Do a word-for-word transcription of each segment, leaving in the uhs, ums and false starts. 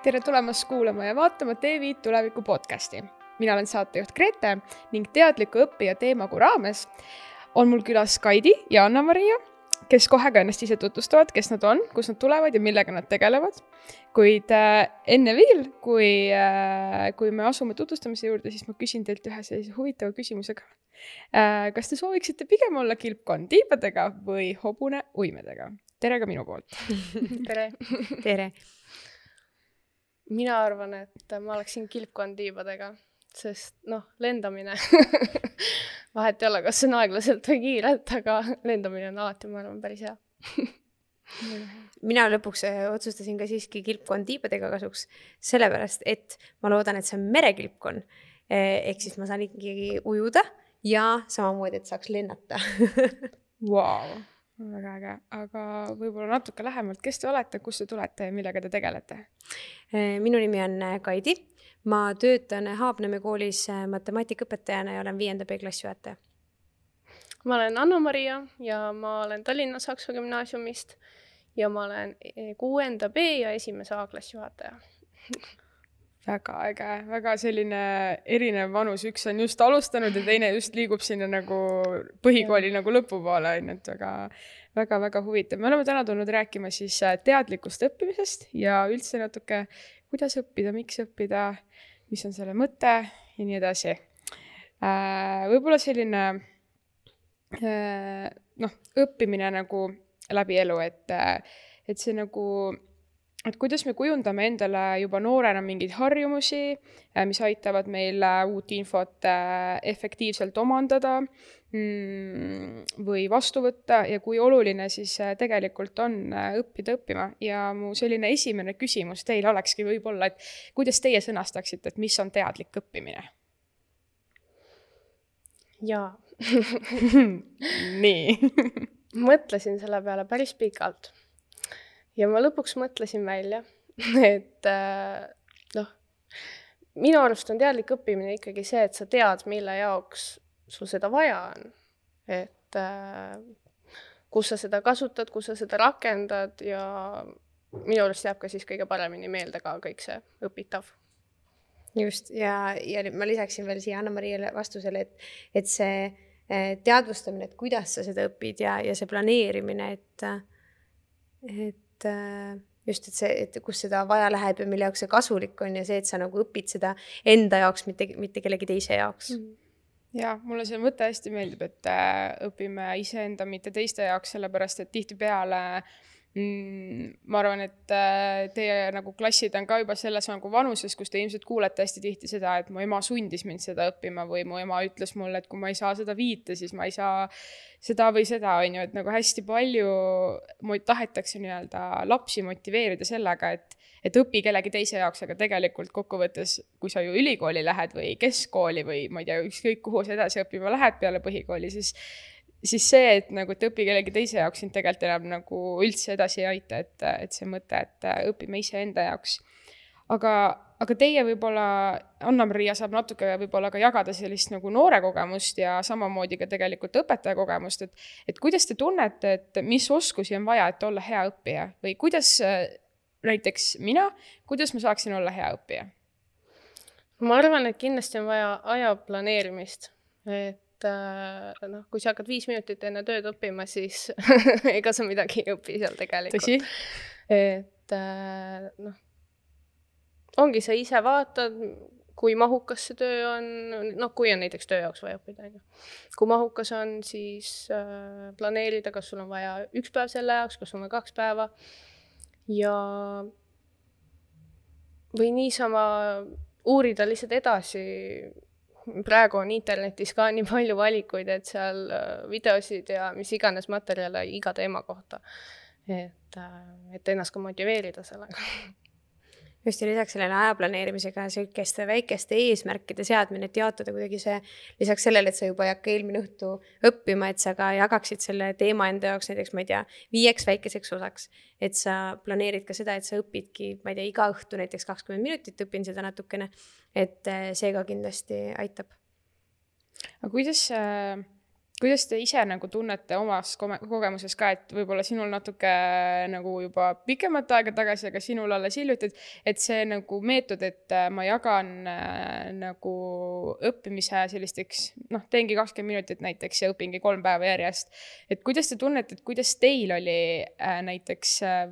tere tulemast kuulama ja vaatama T V tuleviku podcasti. Mina olen saatejuht Grete ning teadliku õppija teemagu raames on mul külas Kaidi ja Anna-Maria, kes kohe ka ennast ise tutvustavad, kes nad on, kus nad tulevad ja millega nad tegelevad. Kuid äh, enne veel, kui, äh, kui me asume tutvustamise juurde, siis ma küsin teilt ühe sellise huvitava küsimusega. Äh, kas te sooviksite pigem olla kilpkonn tiibadega või hobune uimedega? Tere ka minu poolt. Tere. Tere. Mina arvan, et ma oleksin kilpkonn tiibadega, sest noh, lendamine vahet ei ole, kas see on aeglaselt või kiirelt, aga lendamine on alati, ma arvan, päris hea. Mina lõpuks otsustasin ka siiski kilpkonn tiibadega kasuks, sellepärast, et ma loodan, et see on merekilpkonn. Ehk siis ma saan ikkagi ujuda ja samamoodi, et saaks lennata. Wow, väga äge. Aga võib-olla natuke lähemalt, kes te olete, kus te tulete ja millega te tegelete? Minu nimi on Kaidi. Ma töötan Haapneme koolis matemaatikaõpetajana ja olen viienda B klassijuhataja. Ma olen Anna-Maria ja ma olen Tallinna Saksa gümnaasiumist ja ma olen kuuenda B ja esimese A klassijuhataja. Väga äge, väga selline erinev vanus. Üks on just alustanud ja teine just liigub sinna nagu põhikooli nagu lõpupoole. Väga, väga, väga huvitav. Me oleme täna tulnud rääkima siis teadlikust õppimisest ja üldse natuke, kuidas õppida, miks õppida, mis on selle mõte ja nii edasi. Võib-olla selline noh, õppimine nagu läbi elu, et, et see nagu et kuidas me kujundame endale juba noorena mingeid harjumusi, mis aitavad meil uut infot efektiivselt omandada või vastu võtta ja kui oluline siis tegelikult on õppida õppima. Ja mu selline esimene küsimus teile olekski võib-olla, et kuidas teie sõnastaksite, et mis on teadlik õppimine? Jaa. Nii. Mõtlesin selle peale päris pikalt. Ja ma lõpuks mõtlesin välja, et noh, minu arust on teadlik õppimine ikkagi see, et sa tead, mille jaoks sul seda vaja on. Et kus sa seda kasutad, kus sa seda rakendad ja minu arust jääb ka siis kõige paremini meelde ka kõik see õpitav. Just, ja, ja ma lisaksin veel siia Anna-Mariale vastusele, et, et see teadvustamine, et kuidas sa seda õpid ja, ja see planeerimine, et, et just, et, see, et kus seda vaja läheb ja mille jaoks see kasulik on ja see, et sa nagu õpid seda enda jaoks, mitte, mitte kellegi teise jaoks. Ja, mulle see mõte hästi meeldib, et õpime iseenda, mitte teiste jaoks, sellepärast, et tihti peale ma arvan, et teie nagu klassid on ka juba selles nagu vanuses, kus te ilmselt kuulete hästi tihti seda, et mu ema sundis mind seda õppima või mu ema ütles mulle, et kui ma ei saa seda viite, siis ma ei saa seda või seda, on ju, et nagu hästi palju tahetakse nii-öelda lapsi motiveerida sellega, et, et õpi kellegi teise jaoks, aga tegelikult kokkuvõttes, kui sa ju ülikooli lähed või keskkooli või ma ei tea, ükskõik kuhu sa edasi õppima lähed peale põhikooli, siis siis see, et nagu et õpi kellegi teise jaoks siin tegelikult enam nagu üldse edasi ei aita, et, et see mõte, et õpime ise enda jaoks. Aga, aga teie võib-olla, Anna-Maria saab natuke võib-olla ka jagada sellist nagu noore kogemust ja samamoodi ka tegelikult õpetaja kogemust, et, et kuidas te tunnete, et mis oskusi on vaja, et olla hea õppija või kuidas näiteks mina, kuidas ma saaksin olla hea õppija? Ma arvan, et kindlasti on vaja aja planeerimist, et noh, kui sa hakkad viis minutit enne tööd õppima, siis ega sa midagi ei õpi seal tegelikult. Tõsi? Et noh, ongi sa ise vaatad, kui mahukas see töö on, noh, kui on näiteks töö jaoks vaja õppida. Kui mahukas on, siis planeerida, kas sul on vaja üks päev selle jaoks, kas sul on kaks päeva ja või niisama uurida lihtsalt edasi. Praegu on internetis ka nii palju valikuid, et seal videosid ja mis iganes materjale iga teema kohta, et, et ennast ka motiveerida sellega. Just ja lisaks sellele ajaplaneerimisega selliste väikeste eesmärkide seadmine, et jaotada kuidagi see, lisaks sellele, et sa juba ei hakka eelmine õhtu õppima, et sa ka jagaksid selle teema enda jaoks näiteks, ma ei tea, viieks väikeseks osaks, et sa planeerid ka seda, et sa õpidki, ma ei tea, iga õhtu näiteks kakskümmend minutit õpin seda natukene, et see ka kindlasti aitab. Aga kuidas kuidas te ise nagu tunnete omas kogemuses ka, et võib-olla sinul natuke nagu juba pikemat aega tagasi, aga sinul alles hiljuti, et see nagu meetod, et ma jagan äh, nagu õppimise sellisteks, noh, teengi kakskümmend minutit näiteks ja õpingi kolm päeva järjest. Et kuidas te tunnete, et kuidas teil oli äh, näiteks äh,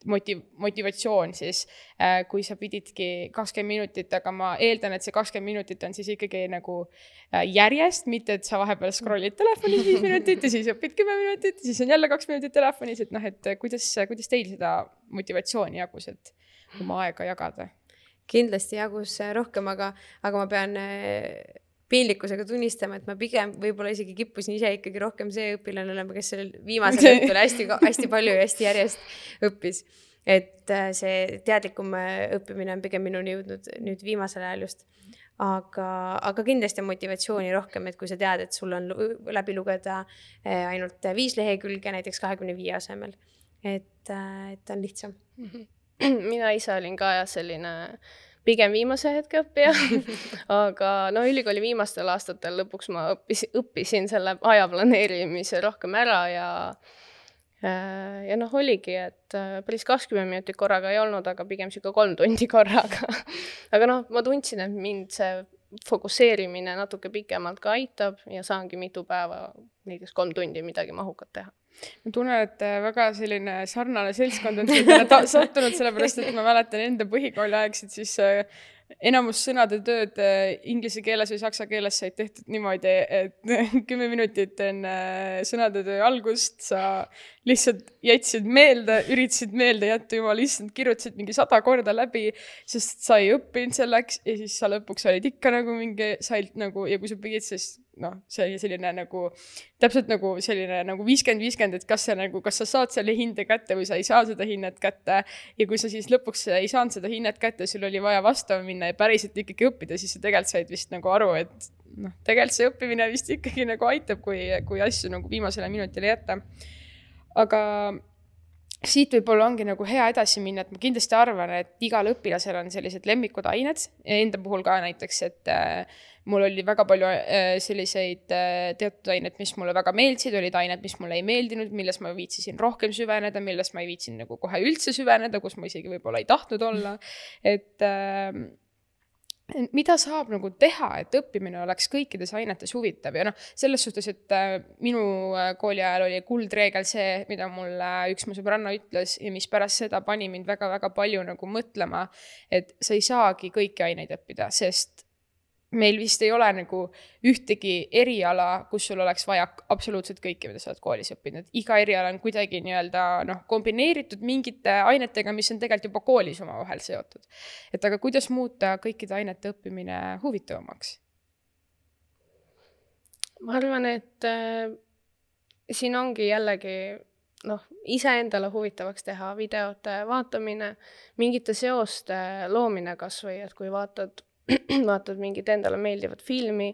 motiv- motivatsioon siis, äh, kui sa pididki kakskümmend minutit, aga ma eeldan, et see kakskümmend minutit on siis ikkagi nagu äh, järjest, mitte et sa vahepeal scrollid telefonis viis minutit ja siis õpid kümme minutit ja siis on jälle kaks minutit telefonis, et noh, et kuidas, kuidas teil seda motivatsiooni jagus, et oma aega jagada? Kindlasti jagus rohkem, aga, aga ma pean piinlikkusega tunnistama, et ma pigem võib-olla isegi kippusin ise ikkagi rohkem see õpilane olema, kes sellel viimasel õhtul hästi, hästi palju ja hästi järjest õppis. Et see teadlikum õppimine on pigem minuni jõudnud nüüd viimasel ajal just. Aga, aga kindlasti on motivatsiooni rohkem, et kui sa tead, et sul on läbi lugeda ainult viis lehekülge, näiteks kahekümne viie asemel. Et, et on lihtsam. Mina ise olin ka ja selline pigem viimase hetke õppija, aga no ülikooli viimastel aastatel lõpuks ma õppis, õppisin selle aja planeerimise rohkem ära ja ja noh, oligi, et päris kakskümmend minutit korraga ei olnud, aga pigem siuke kolm tundi korraga. Aga noh, ma tundsin, et mind see fokusseerimine natuke pikemalt ka aitab ja saangi mitu päeva, näiteks kolm tundi midagi mahukat teha. Ma tunnen, et väga selline sarnane seltskond on ta sattunud, sellepärast, et ma mäletan enda põhikooli aegsid, siis enamus sõnade tööd inglise keeles või saksa keeles said tehtud niimoodi, et kümme minutit enne sõnade töö algust sa lihtsalt jätsid meelde, üritasid meelde jätta, juba lihtsalt kirjutasid mingi sada korda läbi, sest sa ei õppinud selleks ja siis sa lõpuks olid ikka nagu mingi sailt nagu, ja kui sa pidid, siis noh, see oli selline nagu, täpselt nagu selline nagu viiskümmend viiskümmend, et kas, see, nagu, kas sa saad selle hinde kätte või sa ei saa seda hinnet kätte. Ja kui sa siis lõpuks ei saanud seda hinnet kätte, sul oli vaja vastama minna ja päriselt ikkagi õppida, siis sa tegelikult said vist nagu aru, et noh, tegelikult see õppimine vist ikkagi nagu aitab, kui, kui asju nagu viimasele minutile jätta. Aga siit võib-olla ongi nagu hea edasi minna, et ma kindlasti arvan, et igal õpilasel on sellised lemmikud ained ja enda puhul ka näiteks, et äh, mul oli väga palju äh, selliseid äh, teatud ained, mis mulle väga meeldisid, olid ained, mis mulle ei meeldinud, milles ma viitsisin rohkem süveneda, milles ma ei viitsin nagu kohe üldse süveneda, kus ma isegi võib-olla ei tahtnud olla, et äh, mida saab nagu teha, et õppimine oleks kõikides ainetes huvitav ja noh, selles suhtes, et äh, minu kooli ajal oli kuldreegel see, mida mulle üks mu sõbranna ütles ja mis pärast seda pani mind väga-väga palju nagu mõtlema, et sa ei saagi kõiki aineid õppida, sest meil vist ei ole nagu ühtegi eriala, kus sul oleks vaja absoluutselt kõike, mida sa oled koolis õppinud. Iga eriala on kuidagi nii-öelda noh, kombineeritud mingite ainetega, mis on tegelikult juba koolis oma vahel seotud. Et aga kuidas muuta kõikide ainete õppimine huvitavamaks? Ma arvan, et äh, siin ongi jällegi noh, iseendale huvitavaks teha videote vaatamine, mingite seoste loomine kas või, et kui vaatad vaatad mingit endale meeldivat filmi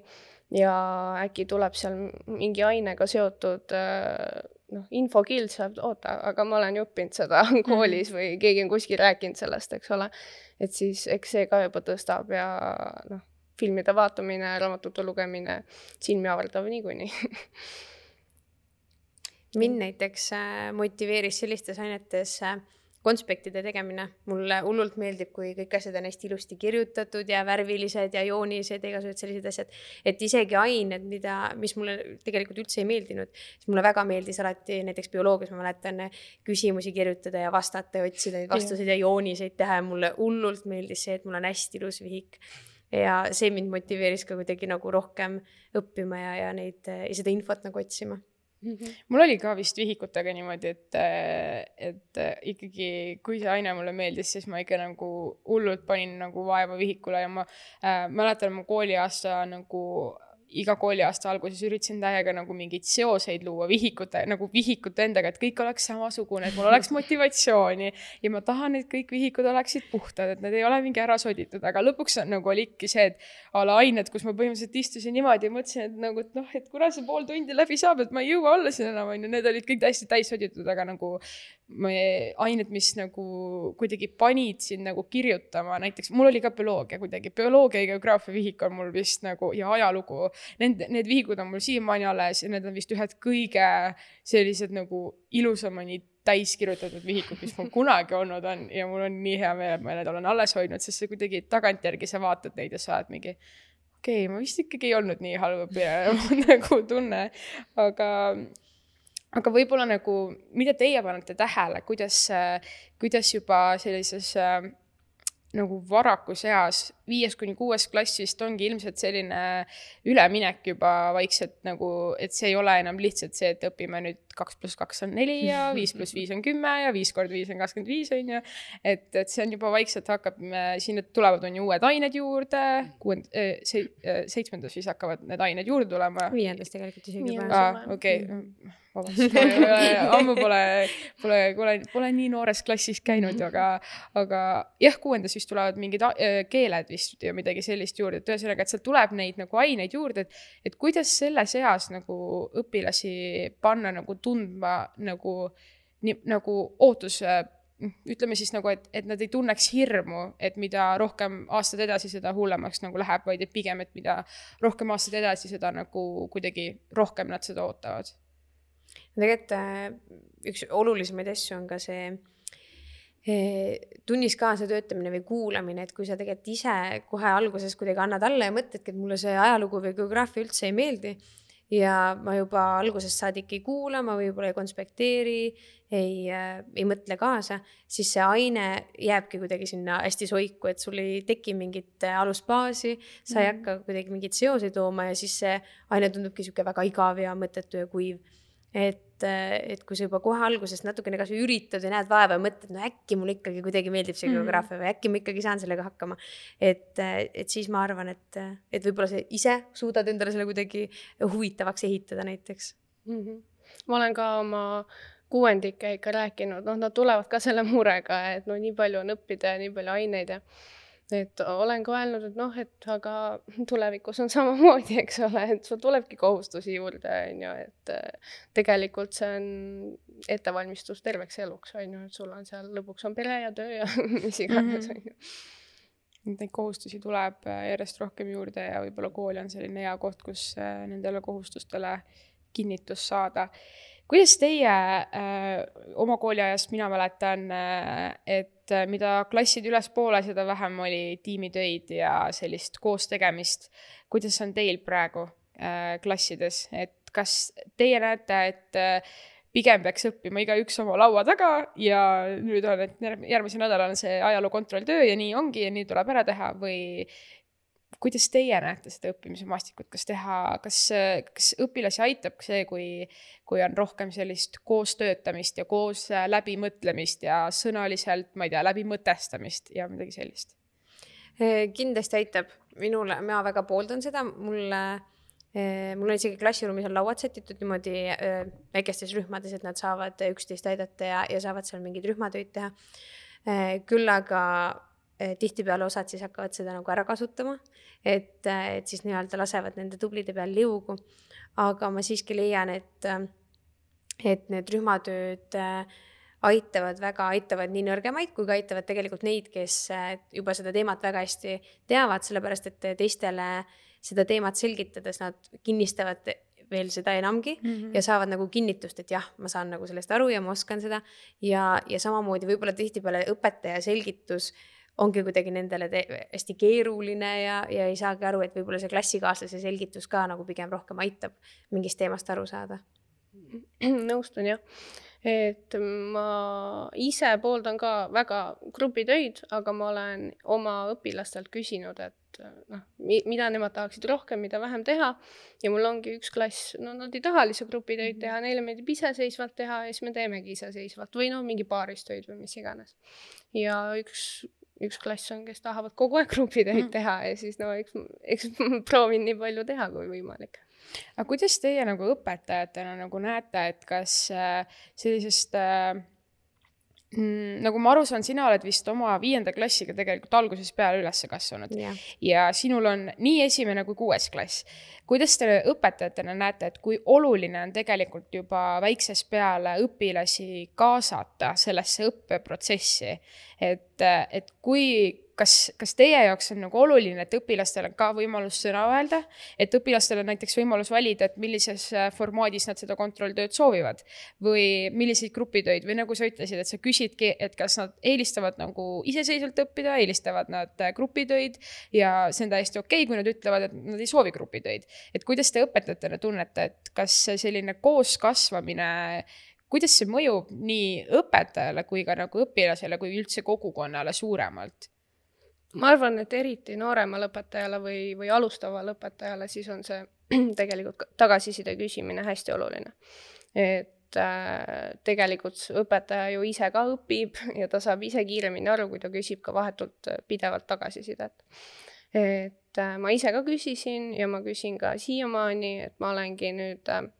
ja äkki tuleb seal mingi ainega seotud noh, infokild saab, oota, aga ma olen ju õppinud seda koolis või keegi on kuskil rääkinud sellest, eks ole. Et siis eks see ka juba tõstab ja noh, filmide vaatamine, raamatute lugemine, silmi avardav niikuinii. Mind näiteks motiveeris sellistes ainetes konspektide tegemine. Mulle hullult meeldib, kui kõik asjad on hästi ilusti kirjutatud ja värvilised ja joonised ja igasugused sellised asjad. Et isegi ained, mida, mis mulle tegelikult üldse ei meeldinud, siis mulle väga meeldis alati näiteks bioloogias, ma mäletan küsimusi kirjutada ja vastata ja otsida neid vastuseid ja jooniseid teha. Ja mulle hullult meeldis see, et mul on hästi ilus vihik. Ja see mind motiveeris ka kuidagi nagu rohkem õppima ja, ja, neid, ja seda infot nagu otsima. Mul oli ka vist vihikutega niimoodi, et, et ikkagi kui see aine mulle meeldis, siis ma ikka nagu hullult panin nagu vaeva vihikule ja ma äh, mäletan mu kooliaasta nagu iga kooliaasta alguses üritasin täiega nagu mingeid seoseid luua vihikute, nagu vihikute endaga, et kõik oleks samasugune, et mul oleks motivatsiooni ja ma tahan, et kõik vihikud oleksid puhtad, et need ei ole mingi ära soditud, aga lõpuks nagu oli ikka see, et ala ained, kus ma põhimõtteliselt istusin niimoodi ja mõtlesin, et nagu, et noh, et kuna see pool tundi läbi saab, et ma ei jõua olla siin enam, on ju, need olid kõik täiesti täis soditud, aga nagu ained, mis nagu kuidagi panid sind nagu kirjutama, näiteks mul oli ka bioloogia kuidagi, bioloogia ja geograafia vihik on mul vist nagu ja ajalugu, need, need vihikud on mul siiamaani alles ja need on vist ühed kõige sellised nagu ilusamani täis kirjutatud vihikud, mis mul kunagi olnud on ja mul on nii hea meel, et ma need olen alles hoidnud, sest see kuidagi tagantjärgi sa vaatad neid ja saad mingi okei okay,, ma vist ikkagi ei olnud nii halb õpilane nagu tunne, aga, aga võib-olla nagu, mida teie panete tähele, kuidas, kuidas juba sellises nagu varakus eas, viies kuni kuues klassist ongi ilmselt selline üleminek juba vaikselt nagu, et see ei ole enam lihtsalt see, et õpime nüüd kaks pluss kaks on neli ja viis pluss viis on kümme ja viis kord viis on kakskümmend viis on ju, et, et see on juba vaikselt hakkab, sinna tulevad on ju uued ained juurde, kuuend, se, seitsmendas siis hakkavad need ained juurde tulema. Viiendas tegelikult isegi juba. Ah, okei, okay. Vabast, ammu pole, pole, pole, pole nii noores klassis käinud, aga, aga jah, kuuendas vist tulevad mingid keeled vist ja midagi sellist juurde, et ühesõnaga, et seal tuleb neid nagu aineid juurde, et, et kuidas selles eas nagu õpilasi panna nagu tundma nagu, nii, nagu ootus, ütleme siis nagu, et, et nad ei tunneks hirmu, et mida rohkem aastad edasi, seda hullemaks nagu läheb, vaid et pigem, et mida rohkem aastad edasi, seda nagu kuidagi rohkem nad seda ootavad. Tegelikult üks olulisemaid asju on ka see tunnis kaasa töötamine või kuulamine, et kui sa tegelikult ise kohe alguses kuidagi annad alla ja mõtledki, et mulle see ajalugu või geograafia üldse ei meeldi ja ma juba algusest saadik ei kuula, ma võib-olla ei konspekteeri, ei, ei mõtle kaasa, siis see aine jääbki kuidagi sinna hästi soiku, et sul ei teki mingit alusbaasi, sa ei hakka kuidagi mingit seoseid tooma ja siis see aine tundubki siuke väga igav ja mõttetu ja kuiv. Et, et kui sa juba kohe algusest natukene kas üritad ja näed vaeva ja mõtled, no äkki mul ikkagi kuidagi meeldib see geograafia või äkki ma ikkagi saan sellega hakkama. Et, et siis ma arvan, et, et võib-olla see ise suudad endale selle kuidagi huvitavaks ehitada näiteks. Mm-hmm. Ma olen ka oma kuuendike ikka rääkinud, noh, nad tulevad ka selle murega, et no nii palju on õppida ja nii palju aineid ja et olen ka öelnud, et noh, et aga tulevikus on samamoodi, eks ole, et sul tulebki kohustusi juurde, on ju, et tegelikult see on ettevalmistus terveks eluks, on ju, et sul on seal lõpuks on pere ja töö ja mis iganes, on ju. Neid kohustusi tuleb järjest rohkem juurde ja võib-olla kool on selline hea koht, kus nendele kohustustele kinnitus saada. Kuidas teie äh, oma kooliajast, mina mäletan, äh, et mida klassid üles poole, seda vähem oli tiimitöid ja sellist koos tegemist. Kuidas on teil praegu äh, klassides? Et kas teie näete, et äh, pigem peaks õppima iga üks oma laua taga ja nüüd on, et järgmise nädal on see ajaloo kontrolltöö ja nii ongi ja nii tuleb ära teha või kuidas teie näete seda õppimise maastikut, kas teha, kas, kas õpilasi aitab see, kui, kui on rohkem sellist koostöötamist ja koos läbimõtlemist ja sõnaliselt, ma ei tea, läbimõtestamist ja midagi sellist? Kindlasti aitab. Minule, ma väga pooldan seda. Mulle, mul on isegi klassiruumis on lauad sätitud niimoodi väikestes rühmades, et nad saavad üksteist aidata ja, ja saavad seal mingeid rühmatöid teha. Küll aga tihtipeale osad siis hakkavad seda nagu ära kasutama, et, et siis nii-öelda lasevad nende tublide peal liugu. Aga ma siiski leian, et, et need rühmatööd aitavad väga, aitavad nii nõrgemaid, kui ka aitavad tegelikult neid, kes juba seda teemat väga hästi teavad, sellepärast et teistele seda teemat selgitades nad kinnistavad veel seda enamgi mm-hmm. ja saavad nagu kinnitust, et jah, ma saan nagu sellest aru ja ma oskan seda. Ja, ja samamoodi võib-olla tihtipeale õpetaja selgitus ongi kuidagi nendele te- hästi keeruline ja, ja ei saagi aru, et võib-olla see klassikaaslase selgitus ka nagu pigem rohkem aitab mingist teemast aru saada. Nõustun jah, et ma ise pooldan ka väga grupitöid, aga ma olen oma õpilastelt küsinud, et noh, mida nemad tahaksid rohkem, mida vähem teha ja mul ongi üks klass, no nad ei taha lihtsalt grupitöid teha, neile meeldib iseseisvalt teha ja siis me teemegi iseseisvalt või no mingi paaristöid või mis iganes. Ja üks üks klass on, kes tahavad kogu aeg grupitöid teha ja siis no eks, eks proovin nii palju teha kui võimalik. Aga kuidas teie nagu õpetajatena nagu näete, et kas sellisest Mm, nagu ma aru saan, sina oled vist oma viienda klassiga tegelikult alguses peale üles kasvanud yeah. ja sinul on nii esimene kui kuues klass. Kuidas te õpetajatena näete, et kui oluline on tegelikult juba väiksest peale õpilasi kaasata sellesse õppeprotsessi, et, et kui Kas, kas teie jaoks on nagu oluline, et õpilastel on ka võimalus sõna öelda, et õpilastel on näiteks võimalus valida, et millises formaadis nad seda kontrolltööd soovivad või milliseid grupitöid või nagu sa ütlesid, et sa küsidki, et kas nad eelistavad nagu iseseisvalt õppida, eelistavad nad grupitöid ja see on täiesti okei, kui nad ütlevad, et nad ei soovi grupitöid. Et kuidas te õpetajatena tunnete, et kas selline kooskasvamine, kuidas see mõjub nii õpetajale kui ka nagu õpilasele kui üldse kogukonnale suuremalt? Ma arvan, et eriti nooremale õpetajale või, või alustavale õpetajale siis on see tegelikult tagasiside küsimine hästi oluline. Et äh, tegelikult õpetaja ju ise ka õpib ja ta saab ise kiiremini aru, kui ta küsib ka vahetult pidevalt tagasisidet. Et äh, ma ise ka küsisin ja ma küsin ka siiamaani, et ma olengi nüüd äh,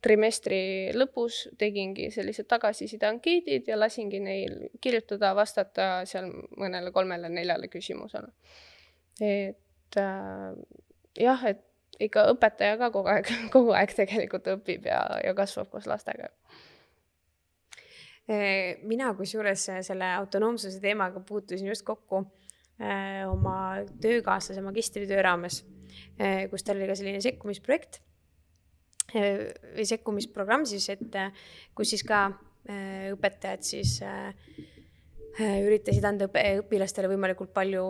trimestri lõpus tegingi sellised tagasiside ankeedid ja lasingi neil kirjutada, vastata seal mõnele kolmele neljale küsimusele. Et äh, jah, et ikka õpetaja ka kogu aeg, kogu aeg tegelikult õpib ja, ja kasvab koos lastega. Mina kusjuures selle autonoomsuse teemaga puutusin just kokku äh, oma töökaaslase magistritöö raames, äh, kus tal oli ka selline sekkumisprojekt või sekkumisprogramm siis, et kus siis ka õpetajad siis üritasid anda õpilastele võimalikult palju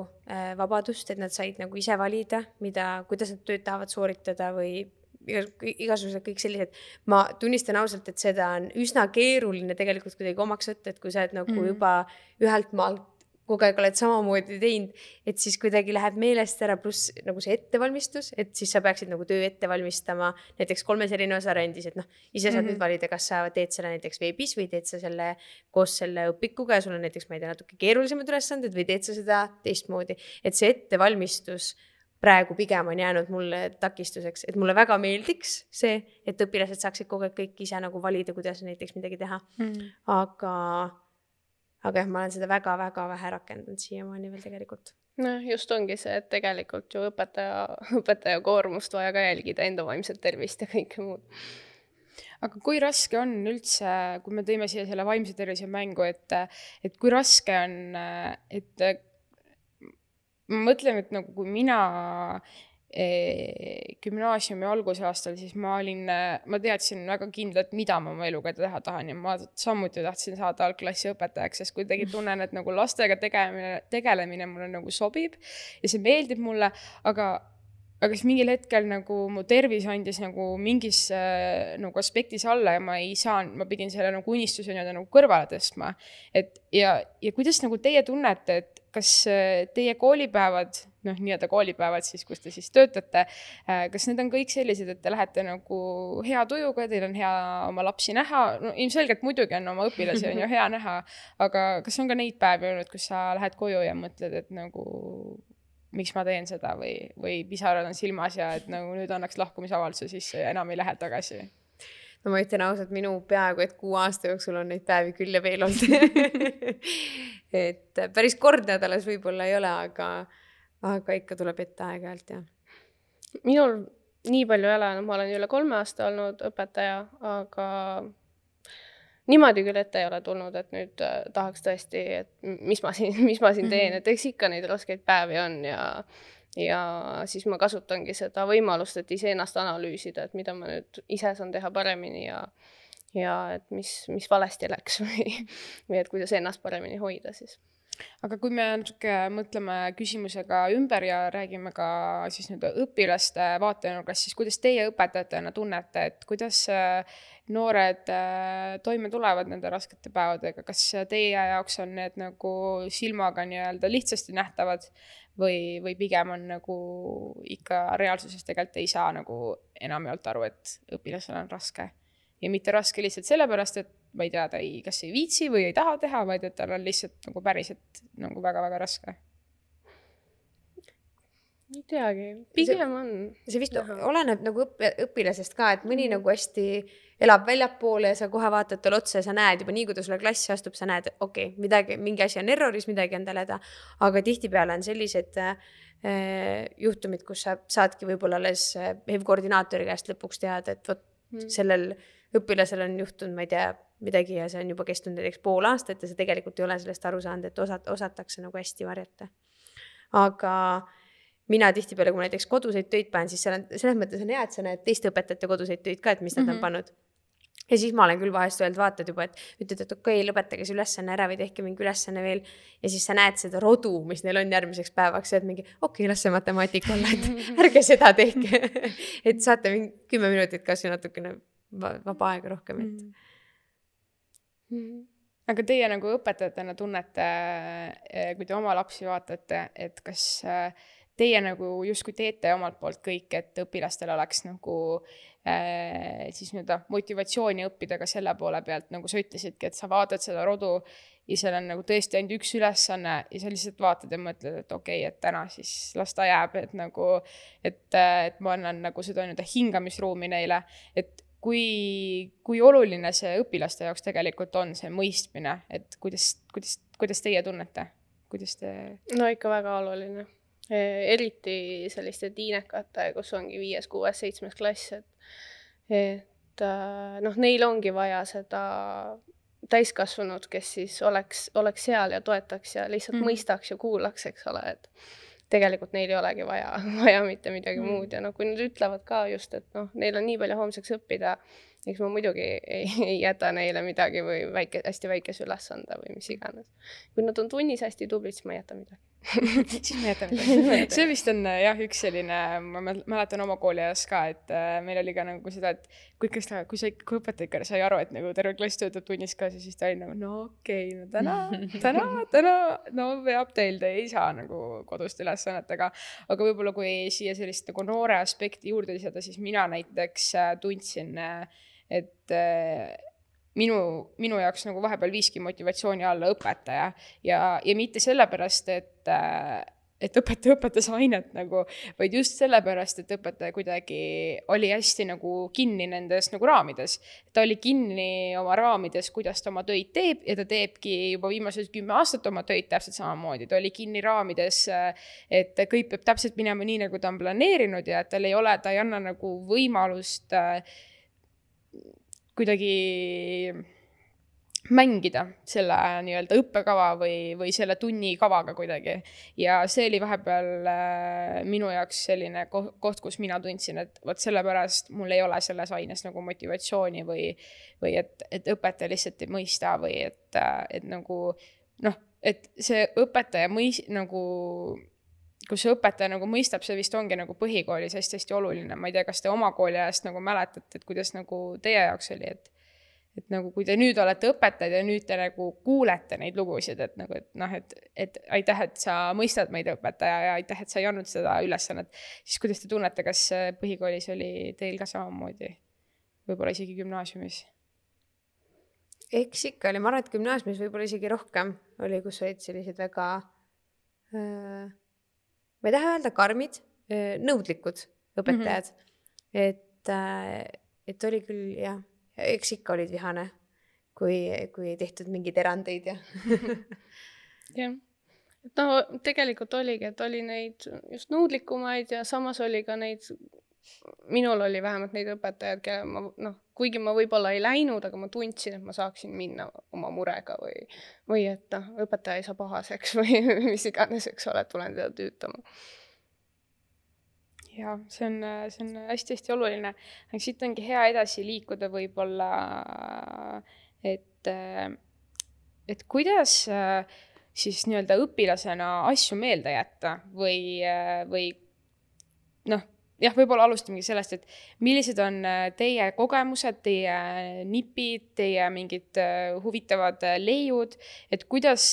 vabadust, et nad said nagu ise valida, mida, kuidas nad tööd tahavad sooritada või igasugused kõik sellised. Ma tunnistan ausalt, et seda on üsna keeruline tegelikult kuidagi omaks võtta, et kui sa oled nagu mm. juba ühelt maalt kogu aeg oled samamoodi teinud, et siis kuidagi läheb meelest ära, pluss nagu see ettevalmistus, et siis sa peaksid nagu töö ette valmistama näiteks kolmes erinevas arendis, et noh, ise saad mm-hmm. nüüd valida, kas sa teed selle näiteks veebis või teed sa selle koos selle õpikuga ja sul on näiteks, ma ei tea, natuke keerulisemad ülesanded või teed sa seda teistmoodi, et see ettevalmistus praegu pigem on jäänud mulle takistuseks, et mulle väga meeldiks see, et õpilased saaksid kogu aeg kõik ise nagu valida, kuidas näiteks midagi teha, mm-hmm. aga Aga jah, ma olen seda väga-väga vähe rakendanud siiamaani veel tegelikult. No just ongi see, et tegelikult ju õpetaja, õpetaja koormust vaja ka jälgida, enda vaimset tervist ja kõike muud. Aga kui raske on üldse, kui me tõime siia selle vaimse tervise mängu, et, et kui raske on, et ma mõtlen, et nagu kui mina gümnaasiumi alguse aastal, siis ma olin, ma teadsin väga kindlalt, mida ma oma eluga teha tahan ja ma samuti tahtsin saada algklassi õpetajaks, sest kuidagi tunnen, et nagu lastega tegelemine, tegelemine mulle nagu sobib ja see meeldib mulle, aga aga siis mingil hetkel nagu mu tervis andis nagu mingis äh, nagu aspektis alla ja ma ei saanud, ma pidin selle nagu unistuse nagu kõrvale tõstma. Et ja, ja kuidas nagu teie tunnete, et kas teie koolipäevad, noh nii-öelda koolipäevad siis, kus te siis töötate, äh, kas need on kõik sellised, et te lähete nagu hea tujuga, teil on hea oma lapsi näha, no ilmselgelt muidugi on oma õpilasi on ju hea näha, aga kas on ka neid päevi olnud, kus sa lähed koju ja mõtled, et nagu miks ma teen seda või, või pisarad on silmas ja et nagu nüüd annaks lahkumisavalduse sisse ja enam ei lähe tagasi. No ma ütlen ausalt, minu peaaegu, et kuu aasta jooksul on neid päevi küll ja veel olnud. Et päris kord nädalas võib-olla ei ole, aga, aga ikka tuleb ette aeg-ajalt, jah. Minul nii palju ei ole, ma olen üle kolme aasta olnud õpetaja, aga niimoodi küll ette ei ole tulnud, et nüüd tahaks tõesti, et mis ma siin, mis ma siin teen, et eks ikka neid raskeid päevi on ja, ja siis ma kasutangi seda võimalust, et ise ennast analüüsida, et mida ma nüüd ise saan teha paremini ja, ja et mis, mis valesti läks või, või et kuidas ennast paremini hoida siis. Aga kui me natuke mõtleme küsimusega ümber ja räägime ka siis nüüd õpilaste vaatenurgast, siis kuidas teie õpetajatena tunnete, et kuidas noored toime tulevad nende raskete päevadega, kas teie jaoks on need nagu silmaga nii-öelda lihtsasti nähtavad või, või pigem on nagu ikka reaalsuses tegelikult ei saa nagu enamjaolt aru, et õpilasel on raske ja mitte raske lihtsalt sellepärast, et ma ei tea, ta ei, kas ei viitsi või ei taha teha, vaid et tal on lihtsalt nagu päriselt nagu väga-väga raske. ei teagi, pigem on. See vist Aha. oleneb nagu õpp, õpilasest ka, et mõni mm. nagu hästi elab väljapoole ja sa kohe vaatad tal otsa ja sa näed juba nii, kui ta sulle klassi astub, sa näed, okei, okay, midagi, mingi asi on erroris, midagi on tal häda. Aga tihtipeale on sellised äh, juhtumid, kus sa saadki võib-olla alles H E V koordinaatori käest lõpuks teada, et võt, mm. sellel õpilasel on juhtunud, ma ei tea, midagi ja see on juba kestnud näiteks pool aastat ja see tegelikult ei ole sellest aru saanud, et osat, osatakse nagu hästi varjata. Aga mina tihtipeale, kui näiteks koduseid töid panen, siis seal on, selles mõttes on hea, et sa näed teiste õpetajate koduseid töid ka, et mis nad mm-hmm. on pannud. Ja siis ma olen küll vahest öelnud, vaatad juba, et ütled, et okei, okay, lõpetage see ülesanne ära või tehke mingi ülesanne veel. Ja siis sa näed seda rodu, mis neil on järgmiseks päevaks, et mingi, okei, okay, las see matemaatika olla, et ärge seda tehke. Et saate mingi kümme minutit kas või natukene vaba aega rohkem. Et... Mm-hmm. Aga teie nagu õpetajatena tunnete, kui te oma lapsi vaatate, et kas teie nagu justkui teete omalt poolt kõik, et õpilastel oleks nagu äh, siis nüüd motivatsiooni õppida ka selle poole pealt, nagu sa ütlesidki, et sa vaatad seda rodu ja seal on nagu tõesti ainult üks ülesanne ja sa lihtsalt vaatad ja mõtled, et okei, okay, et täna siis las ta jääb, et nagu, et, et ma annan nagu seda nii-öelda hingamisruumi neile, et kui, kui oluline see õpilaste jaoks tegelikult on see mõistmine, et kuidas, kuidas, kuidas teie tunnete? Kuidas te... No ikka väga oluline. Eriti selliste tiinekate, kus ongi viies, kuues, seitsmes klass, et, et noh, neil ongi vaja seda täiskasvanud, kes siis oleks, oleks seal ja toetaks ja lihtsalt mm. mõistaks ja kuulaks, eks ole, et tegelikult neil ei olegi vaja, vaja mitte midagi mm. muud ja noh, kui nad ütlevad ka just, et noh, neil on nii palju homseks õppida, eks ma muidugi ei, ei jäta neile midagi või väike, hästi väikese ülesande või mis iganes. Kui nad on tunnis hästi tublid, siis ma ei jäta midagi. Siis me jätame midagi. See vist on jah, üks selline, ma mäletan oma kooli ajas ka, et meil oli ka nagu seda, et kui, ta, kui, sa, kui õpetaja sai aru, et nagu terve klass töötab tunnis ka, siis ta oli nagu, no okei, okay, no täna, täna, täna, no veab teil, te ei saa nagu kodust ülesannetega. Aga võib-olla kui siia sellist nagu noore aspekti juurde lisada, siis mina näiteks tundsin, et minu, minu jaoks nagu vahepeal viiski motivatsiooni alla õpetaja ja, ja mitte sellepärast, et, et õpetaja õpetas ainet nagu, vaid just sellepärast, et õpetaja kuidagi oli hästi nagu kinni nendes nagu raamides. Ta oli kinni oma raamides, kuidas ta oma töid teeb ja ta teebki juba viimased kümme aastat oma töid täpselt samamoodi. Ta oli kinni raamides, et kõik peab täpselt minema nii, nagu ta on planeerinud ja et tal ei ole, ta ei anna nagu võimalust kuidagi mängida selle nii-öelda õppekava või, või selle tunni kavaga kuidagi. Ja see oli vahepeal äh, minu jaoks selline koht, kus mina tundsin, et võt sellepärast mul ei ole selles aines nagu motivatsiooni või, või et, et õpetaja lihtsalt ei mõista või et, et nagu noh, et see õpetaja mõis, nagu kus see õpetaja nagu mõistab, see vist ongi nagu põhikoolis hästi-hästi oluline. Ma ei tea, kas te oma kooli ajast nagu mäletate, et kuidas nagu teie jaoks oli, et, et nagu kui te nüüd olete õpetajad ja nüüd te nagu kuulete neid lugusid, et nagu, et noh, et, et aitäh, et sa mõistad meid õpetaja ja aitäh, et sa ei andnud seda ülesannet, siis kuidas te tunnete, kas põhikoolis oli teil ka samamoodi? Võib-olla isegi gümnaasiumis? Eks ikka oli, ma arvan, et gümnaasiumis võib-olla isegi rohkem oli, kus olid sellised väga äh... ma ei taha öelda karmid, nõudlikud õpetajad. Mm-hmm. Et, et oli küll, jah, eks ikka olid vihane, kui, kui tehtud mingeid erandeid. Ja. jah. Et no tegelikult oligi, et oli neid just nõudlikumaid ja samas oli ka neid, minul oli vähemalt neid õpetajad, kelle ma, noh, kuigi ma võib-olla ei läinud, aga ma tundsin, et ma saaksin minna oma murega või, või et noh, õpetaja ei saa pahaseks või mis iganes, eks ole, tulen teda tüütama. Ja see on, see on hästi-hästi oluline. Aga siit ongi hea edasi liikuda võib-olla, et, et kuidas siis nii-öelda õpilasena asju meelde jätta või, või noh, jah, võib-olla alustamegi sellest, et millised on teie kogemused, teie nipid, teie mingid huvitavad leiud, et kuidas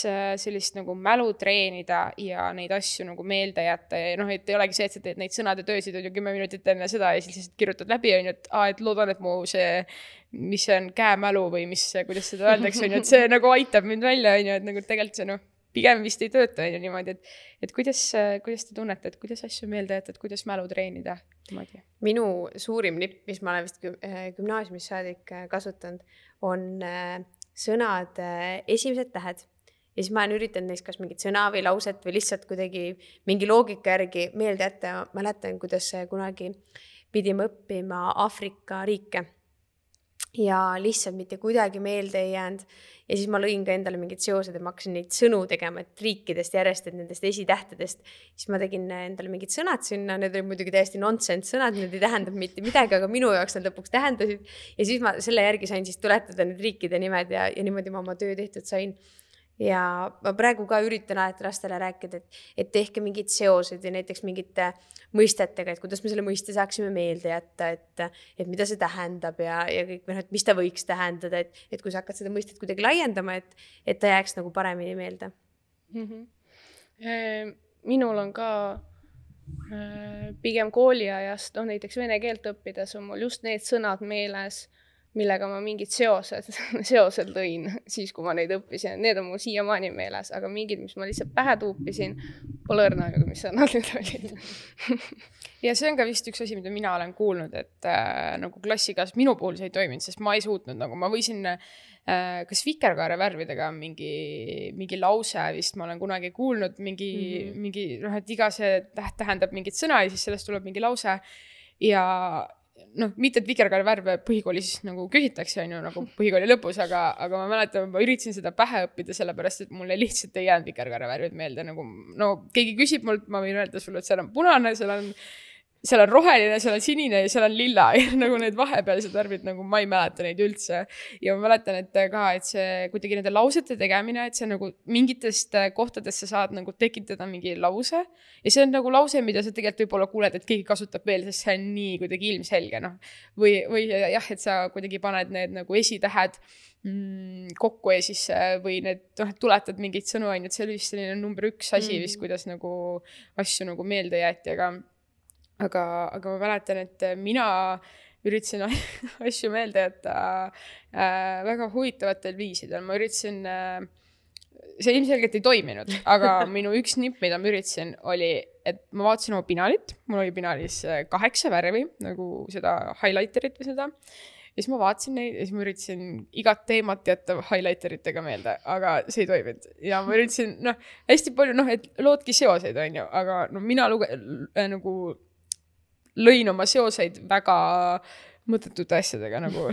sellist nagu mälu treenida ja neid asju nagu meelde jätta. Ja noh, et ei olegi see, et sa teed neid sõnade töösid on ju kümme minutit enne seda ja siis kirjutad läbi, on ju, et, aa, et loodan, et mu see, mis see on käemälu või mis, kuidas seda öeldakse, on ju, et see nagu aitab mind välja, on ju, et nagu tegelikult see noh, pigem vist ei tööta ju niimoodi, et, et kuidas, kuidas te tunnete, et kuidas asju meelde jätta, et kuidas mälu treenida niimoodi? Minu suurim nipp, mis ma olen vist gümnaasiumis saadik kasutanud, on sõnad esimesed tähed. Ja siis ma olen üritanud neist kas mingit sõna või lauset või lihtsalt kuidagi mingi loogika järgi meelde jätta. Ma mäletan, kuidas kunagi pidime õppima Aafrika riike ja lihtsalt mitte kuidagi meelde ei jäänud. Ja siis ma lõin ka endale mingid seosed ja ma hakkasin neid sõnu tegema, et riikidest järjest, et nendest esitähtedest. Siis ma tegin endale mingid sõnad sinna, need olid muidugi täiesti nonsense sõnad, need ei tähendab mitte midagi, aga minu jaoks nad lõpuks tähendasid. Ja siis ma selle järgi sain siis tuletada need riikide nimed ja, ja niimoodi ma oma töö tehtud sain. Ja ma praegu ka üritan alati lastele rääkida, et, et tehke mingid seosed ja näiteks mingite mõistetega, et kuidas me selle mõiste saaksime meelde jätta, et, et mida see tähendab ja, ja kõik, et mis ta võiks tähendada, et, et kui sa hakkad seda mõistet kuidagi laiendama, et, et ta jääks nagu paremini meelde. Mm-hmm. Minul on ka pigem kooliajast, no näiteks vene keelt õppides on mul just need sõnad meeles, millega ma mingid seosed, seosed lõin siis, kui ma neid õppisin. Need on mul siiamaani meeles, aga mingid, mis ma lihtsalt pähe tuupisin, pole õrna, mis sõnad need olid. Ja see on ka vist üks asi, mida mina olen kuulnud, et äh, nagu klassikas minu puhul see ei toiminud, sest ma ei suutnud, nagu ma võisin äh, kas vikerkaare värvidega mingi, mingi lause vist ma olen kunagi kuulnud, mingi, mm-hmm. mingi, noh, et iga see täht tähendab mingit sõna ja siis sellest tuleb mingi lause ja noh, mitte et vikerkaare värve põhikoolis nagu küsitakse, on ju, nagu põhikooli lõpus, aga, aga ma mäletan, ma üritasin seda pähe õppida, sellepärast, et mulle lihtsalt ei jäänud vikerkaare värvid meelde, nagu no keegi küsib mult, ma võin öelda sulle, et seal on punane, seal on seal on roheline, seal on sinine ja seal on lilla ja nagu need vahepealsed värvid, nagu ma ei mäleta neid üldse. Ja ma mäletan, et ka, et see kuidagi nende lausete tegemine, et see nagu mingitest kohtadest sa saad nagu tekitada mingi lause ja see on nagu lause, mida sa tegelikult võib-olla kuuled, et keegi kasutab veel, sest see on nii kuidagi ilmselge, noh. Või, või jah, et sa kuidagi paned need nagu esitähed mm, kokku ja siis või need, noh, tuletad mingid sõnu, ainult see oli vist selline number üks asi mm. vist, kuidas nagu asju nagu meelde jäeti, aga Aga, aga ma mäletan, et mina üritasin asju meelde jätta äh, väga huvitavatel viisidel. Ma üritasin, äh, see ilmselgelt ei toiminud, aga minu üks nipp, mida ma üritasin, oli, et ma vaatasin oma pinalit. Mul oli pinalis kaheksa värvi, nagu seda highlighterit või seda. Ja siis ma vaatasin neid ja siis ma üritasin igat teemat jätta highlighteritega meelde, aga see ei toiminud. Ja ma üritasin, noh, hästi palju, noh, et loodki seoseid, on ju, aga no, mina luge, äh, nagu lõin oma seoseid väga mõttetute asjadega, nagu,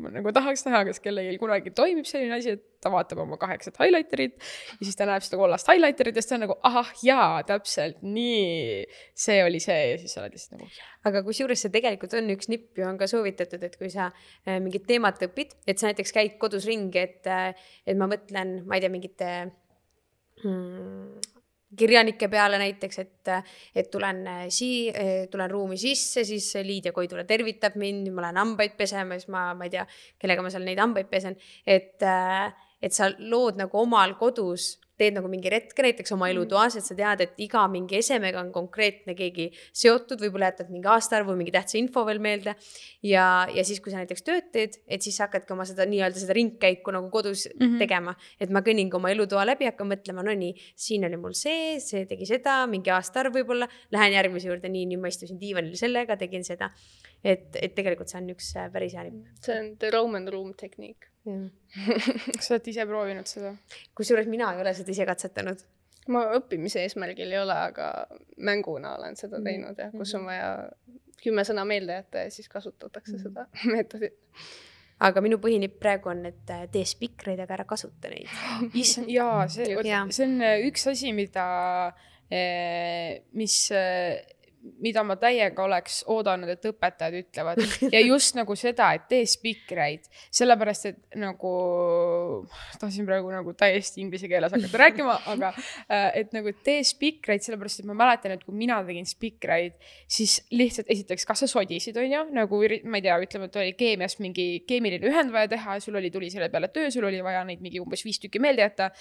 nagu tahaks näha, kas kellegi kunagi toimib selline asi, et ta vaatab oma kaheksat highlighterit ja siis ta näeb seda kollast highlighterit ja siis ta on nagu, ahah, jaa, täpselt, nii, see oli see ja siis sa oled lihtsalt nagu. Aga kusjuures see tegelikult on üks nipp ju on ka soovitatud, et kui sa mingit teemat õpid, et sa näiteks käid kodus ringi, et, et ma mõtlen, ma ei tea, mingite hmm, kirjanike peale näiteks, et, et tulen, sii, tulen ruumi sisse, siis Liidia Koidula tervitab mind, ma lähen hambaid pesema, siis ma, ma ei tea, kellega ma seal neid hambaid pesen, et, et sa lood nagu omal kodus, teed nagu mingi retke näiteks oma elutoas, et sa tead, et iga mingi esemega on konkreetne keegi seotud, võib-olla jätad mingi aastaarvu, mingi tähtsa info veel meelde ja, ja siis, kui sa näiteks tööd teed, et siis hakkadki oma seda nii-öelda seda ringkäiku nagu kodus mm-hmm. tegema, et ma kõnnin oma elutoa läbi, hakkan mõtlema, no nii, siin oli mul see, see tegi seda, mingi aastaarv võib-olla, lähen järgmise juurde, nii, nii ma istusin diivanil sellega, tegin seda, et, et tegelikult see on üks päris hea nipp. See on the Roman room tehniik. Sa oled ise proovinud seda? Kusjuures mina ei ole seda ise katsetanud. Ma õppimise eesmärgil ei ole, aga mänguna olen seda teinud ja kus on vaja kümme sõna meelde jätta ja siis kasutatakse seda meetodit. Aga minu põhinipp praegu on, et tee spikreid, aga ära kasuta neid. Jaa, see, see on üks asi, mida, mis... mida ma täiega oleks oodanud, et õpetajad ütlevad. Ja just nagu seda, et tee spikreid. Sellepärast, et nagu, tahtsin praegu nagu täiesti inglise keeles hakata rääkima, aga et nagu tee spikreid, sellepärast, et ma mäletan, et kui mina tegin spikreid, siis lihtsalt esiteks, kas sa sodisid, on ju? Nagu, ma ei tea, ütleme, et oli keemias mingi keemiline ühend vaja teha, sul oli tuli selle peale töö, sul oli vaja neid mingi umbes viis tükki meelde jätta.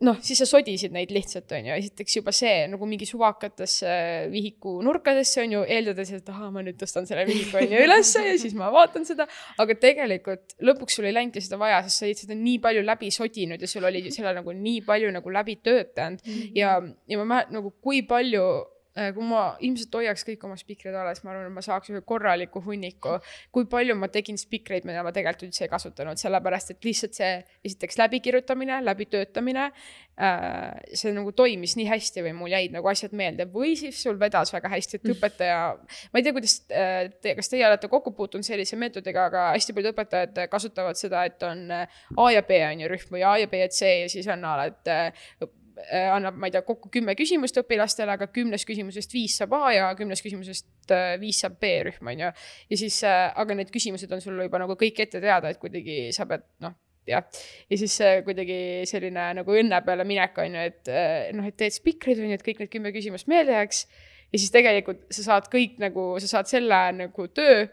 noh, siis sa sodisid neid lihtsalt, on ju, esiteks juba see nagu mingi suvakatesse vihiku nurkadesse, on ju, eeldades, et aha, ma nüüd tõstan selle vihiku on ju ülesse ja siis ma vaatan seda, aga tegelikult lõpuks sul ei läinudki seda vaja, sest sa olid seda nii palju läbi sodinud ja sul oli selle nagu nii palju nagu läbi töötanud mm-hmm. ja, ja ma mäletan nagu kui palju kui ma ilmselt hoiaks kõik oma spikreid alles, ma arvan, et ma saaks ühe korraliku hunniku, kui palju ma tegin spikreid, mida ma tegelikult üldse ei kasutanud, sellepärast, et lihtsalt see esiteks läbikirjutamine, läbitöötamine, see nagu toimis nii hästi või mul jäid nagu asjad meelde või siis sul vedas väga hästi, et õpetaja, ma ei tea, kuidas te, kas teie olete kokku puutunud sellise meetodiga, aga hästi palju õpetajad kasutavad seda, et on A ja B on ju rühm või A ja B ja C ja siis on ala, et annab, ma ei tea, kokku kümme küsimust õpilastele, aga kümnes küsimusest viis saab A ja kümnes küsimusest viis saab B rühm, on ju. Ja siis, aga need küsimused on sul juba nagu kõik ette teada, et kuidagi sa pead, noh, jah. Ja siis kuidagi selline nagu õnne peale minek on ju, et noh, et teed spikrid on ju, et kõik need kümme küsimust meelde jääks. Ja siis tegelikult sa saad kõik nagu, sa saad selle nagu töö,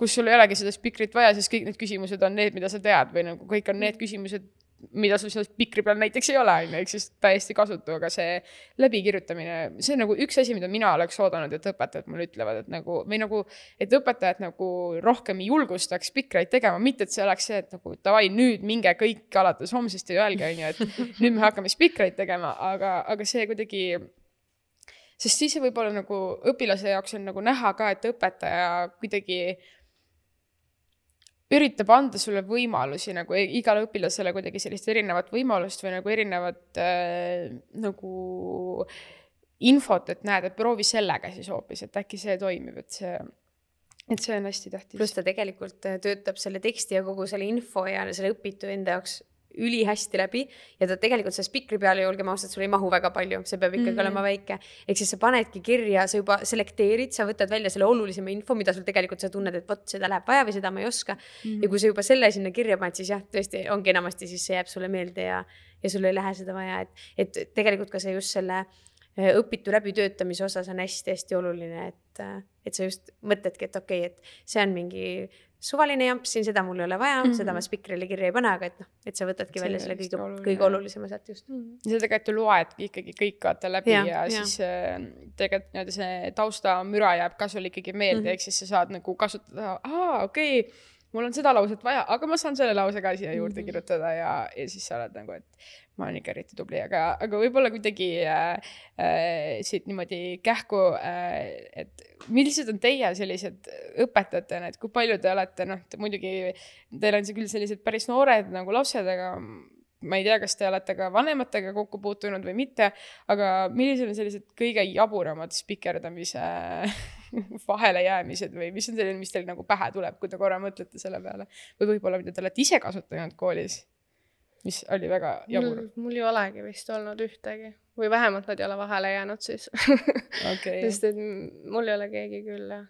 kus sul ei olegi seda spikrit vaja, siis kõik need küsimused on need, mida sa tead või nagu kõik on need küsimused, mida sul selles pikri peal näiteks ei ole, ehk siis täiesti kasutu, aga see läbikirjutamine, see on nagu üks asi, mida mina oleks oodanud, et õpetajad mulle ütlevad, et nagu, või nagu, et õpetajad nagu rohkem julgustaks pikreid tegema, mitte et see oleks see, et nagu davai, nüüd minge kõik alates homsest ja öelge, on ju, et nüüd me hakkame spikreid tegema, aga, aga see kuidagi, sest siis see võib-olla nagu õpilase jaoks on nagu näha ka, et õpetaja kuidagi üritab anda sulle võimalusi nagu igale õpilasele kuidagi sellist erinevat võimalust või nagu erinevat äh, nagu infot, et näed, et proovi sellega siis hoopis, et äkki see toimib, et see, et see on hästi tähtis. Plus ta tegelikult töötab selle teksti ja kogu selle info ja selle õpitu enda jaoks üli hästi läbi ja ta tegelikult see spikri peale ju olgem ausad, sul ei mahu väga palju, see peab ikkagi mm-hmm. olema väike. Ehk siis sa panedki kirja, sa juba selekteerid, sa võtad välja selle olulisema info, mida sul tegelikult sa tunned, et võt, seda läheb vaja või seda ma ei oska. Mm-hmm. Ja kui sa juba selle sinna kirja paned, siis jah, tõesti ongi enamasti, siis see jääb sulle meelde ja, ja sul ei lähe seda vaja. Et, et tegelikult ka see just selle õpitu läbitöötamise osas on hästi-hästi oluline, et, et sa just mõtledki, et okei, okay, et see on mingi suvaline jamp siin, seda mul ei ole vaja, mm-hmm. seda ma spikrile kirja ei pane, aga et, no, et sa võtadki see välja selle kõige, oluline. kõige olulisema sealt just. Mm-hmm. Ja sa tegelikult ju loedki ikkagi kõik vaata läbi ja, ja, ja siis tegelikult nii, see tausta müra jääb ka sul ikkagi meelde, mm-hmm. ehk siis sa saad nagu kasutada, aa, okei, okay, mul on seda lauset vaja, aga ma saan selle lause ka siia juurde mm-hmm. kirjutada ja, ja siis sa oled nagu, et ma olen ikka eriti tubli, aga, aga võib-olla kuidagi äh, äh, siit niimoodi kähku, äh, et millised on teie sellised õpetajatena, et kui palju te olete, noh, te muidugi, teil on see küll sellised päris noored nagu lapsed, aga ma ei tea, kas te olete ka vanematega kokku puutunud või mitte, aga millised on sellised kõige jaburamad spikerdamise vahele jäämised või mis on selline, mis teil nagu pähe tuleb, kui te korra mõtlete selle peale või võib-olla, mida te olete ise kasutanud koolis, mis oli väga jabur. Mul, mul ei olegi vist olnud ühtegi või vähemalt nad ei ole vahele jäänud siis. Okay. Sest et mul ei ole keegi küll, jah.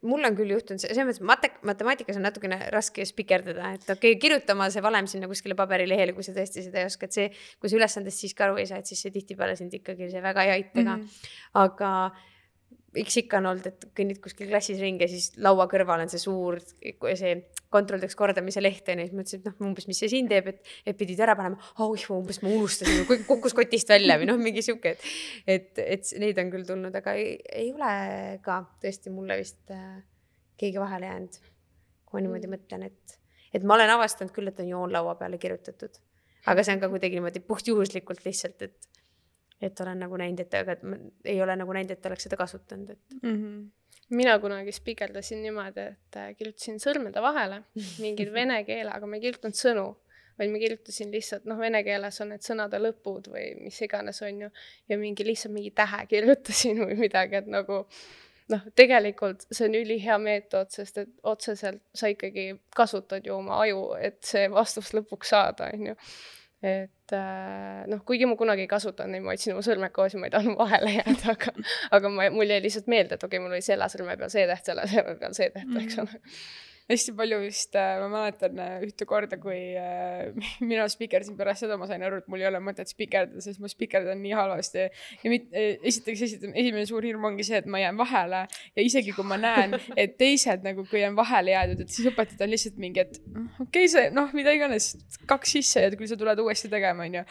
Mul on küll juhtunud, see mõttes mate- matemaatikas on natukene raske spikerdada, et okei, okay, kirjutama see valem sinna kuskile paberilehele, kui sa tõesti seda ei oska, et see, kui sa ülesandest siis ka aru ei saa, et siis see tihtipeale sind ikkagi see väga ei aita ka. Mm-hmm. Aga eks ikka on olnud, et kõnnid kuskil klassis ringi ja siis laua kõrval on see suur, see kontrolldaks kordamise leht ja siis mõtlesin, et noh, umbes mis see siin teeb, et, et pidid ära panema, oh, umbes ma unustasin, kukkus kotist välja või noh, mingi siuke, et, et, et neid on küll tulnud, aga ei, ei ole ka tõesti mulle vist äh, keegi vahele jäänud, kui ma niimoodi mõtlen, et, et ma olen avastanud küll, et on joon laua peale kirjutatud, aga see on ka kuidagi niimoodi puhtjuhuslikult lihtsalt, et et olen nagu näinud, et aga ei ole nagu näinud, et oleks seda kasutanud. Et... Mm-hmm. Mina kunagi spikeldasin niimoodi, et kirjutasin sõrmede vahele mingid vene keele, aga ma ei kirjutanud sõnu, vaid ma kirjutasin lihtsalt, noh, vene keeles on need sõnade lõpud või mis iganes on ju, ja mingi lihtsalt mingi tähe kirjutasin või midagi, et nagu noh, tegelikult see on üli hea meetod, sest et otseselt sa ikkagi kasutad ju oma aju, et see vastus lõpuks saada, on ju. Et noh, kuigi ma kunagi ei kasutanud neid, ma otsin oma sõrmed koos ja ma ei tahtnud vahele jääda, aga, aga ma, mul jäi lihtsalt meelde, et okei, okay, mul oli selle sõrme peal see täht, selle sõrme peal see täht, eks ole. hästi palju vist, ma mäletan ühte korda, kui mina spikerdasin pärast seda, ma sain aru, et mul ei ole mõtet spikerdada, sest ma spikerdan nii halvasti. Ja mit, esiteks, esiteks, esimene suur hirm ongi see, et ma jään vahele ja isegi kui ma näen, et teised nagu kui jään vahele jäädud, et siis õpetajad on lihtsalt mingi, et okei, okay, see, noh, mida iganes, kaks sisse ja kui sa tuled uuesti tegema, on ju.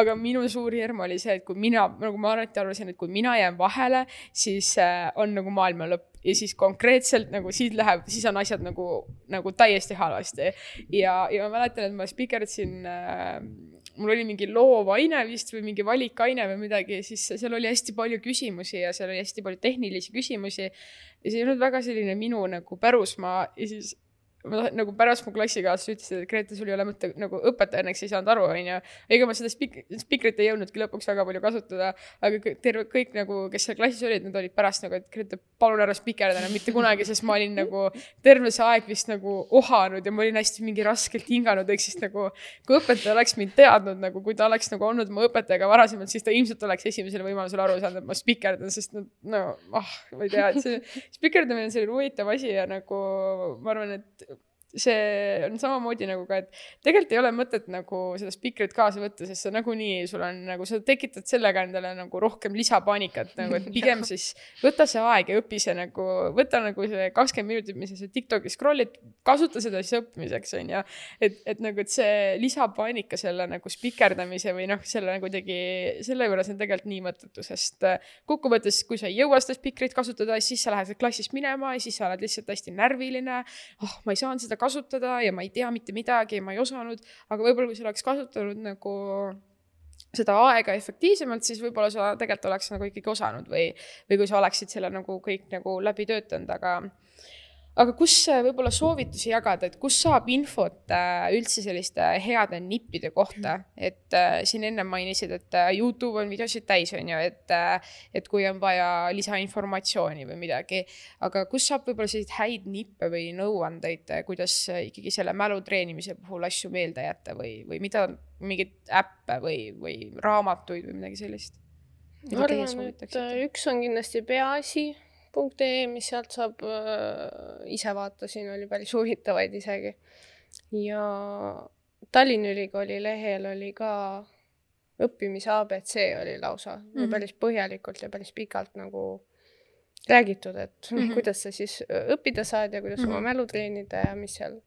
Aga minu suur hirm oli see, et kui mina, nagu ma alati arvasin, et kui mina jään vahele, siis on nagu maailma lõpp. Ja siis konkreetselt nagu siit läheb, siis on asjad nagu, nagu täiesti halvasti. Ja, ja ma mäletan, et ma spikerdasin, äh, mul oli mingi loovaine vist või mingi valikaine või midagi, siis seal oli hästi palju küsimusi ja seal oli hästi palju tehnilisi küsimusi. Ja see ei olnud väga selline minu nagu pärusmaa ja siis ma nagu pärast mu klassikaaslased ütlesid, et Grete, sul ei ole mõtte, nagu õpetaja õnneks ei saanud aru, on ju. Ega ma seda spik- spikrit ei jõudnudki lõpuks väga palju kasutada, aga terve, kõik nagu, kes seal klassis olid, nad olid pärast nagu, et Grete, palun ära spikerda, mitte kunagi, sest ma olin nagu terve see aeg vist nagu ohanud ja ma olin hästi mingi raskelt hinganud, ehk siis nagu, kui õpetaja oleks mind teadnud, nagu kui ta oleks nagu olnud mu õpetajaga varasemalt, siis ta ilmselt oleks esimesele võimalusele aru saanud, et ma spikerdan, sest no, no ah, ma ei tea, et see spikerdamine on selline huvitav asi ja nagu ma arvan, et see on samamoodi nagu ka, et tegelikult ei ole mõtet nagu seda spikrit kaasa võtta, sest sa nagunii, sul on nagu, sa tekitad sellega endale nagu rohkem lisapaanikat, nagu, et pigem siis võta see aeg ja õpi see nagu, võta nagu see kakskümmend minutit, mis sa TikToki scrollid, kasuta seda siis õppimiseks, on ja, et, et nagu, et see lisapaanika selle nagu spikerdamise või noh, selle nagu tegi, selle juures on tegelikult nii mõttetu, sest kokkuvõttes, kui sa ei jõua seda spikrit kasutada, siis sa lähed klassist minema ja siis sa oled lihtsalt hästi närviline, oh, ma ei saanud seda kasutada ja ma ei tea mitte midagi ja ma ei osanud, aga võib-olla kui sa oleks kasutanud nagu seda aega efektiivsemalt, siis võib-olla sa tegelikult oleks nagu ikkagi osanud või, või kui sa oleksid selle nagu kõik nagu läbi töötanud, aga Aga kus võib-olla soovitusi jagada, et kus saab infot üldse selliste heade nippide kohta, et siin enne mainisid, et YouTube on videosid täis, on ju, et, et kui on vaja lisainformatsiooni või midagi, aga kus saab võib-olla selliseid häid nippe või nõuandeid, kuidas ikkagi selle mälu treenimise puhul asju meelde jätta või, või mida, mingid äppe või, või raamatuid või midagi sellist? Ma arvan, et üks on kindlasti peaasi, .ee, mis sealt saab äh, ise vaatasin, oli päris huvitavaid isegi. Ja Tallinna Ülikooli lehel oli ka õppimise A B C oli lausa mm-hmm. päris põhjalikult ja päris pikalt nagu räägitud, et mm-hmm. kuidas sa siis õppida saad ja kuidas mm-hmm. oma mälu treenida ja mis seal,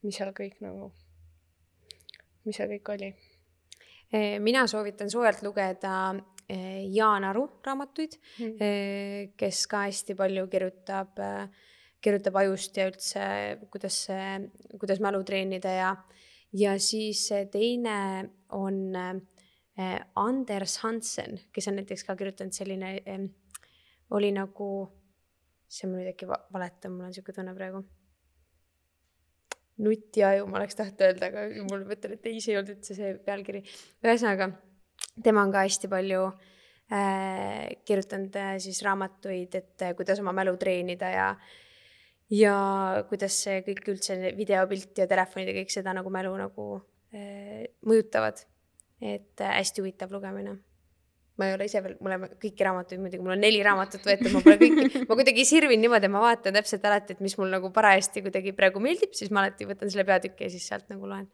mis seal kõik nagu, mis seal kõik oli. Mina soovitan soojalt lugeda Jaan Aru raamatuid, mm. kes ka hästi palju kirjutab, kirjutab ajust ja üldse, kuidas, kuidas mälu treenida ja, ja siis teine on Anders Hansen, kes on näiteks ka kirjutanud selline, oli nagu, see mul nüüd äkki valeta, mul on niisugune tunne praegu. Nutiaju, ma oleks tahtnud öelda, aga mul mõtlen, et ei, see ei olnud üldse see pealkiri. Ühesõnaga, tema on ka hästi palju äh, kirjutanud äh, siis raamatuid, et äh, kuidas oma mälu treenida ja, ja kuidas see kõik üldse videopilt ja telefonid ja kõik seda nagu mälu nagu äh, mõjutavad. Et äh, hästi huvitav lugemine. Ma ei ole ise veel, mul on kõiki raamatuid muidugi, mul on neli raamatut võetud, ma pole kõiki, ma kuidagi sirvin niimoodi, ma vaatan täpselt alati, et mis mul nagu parajasti kuidagi praegu meeldib, siis ma alati võtan selle peatükki ja siis sealt nagu loen.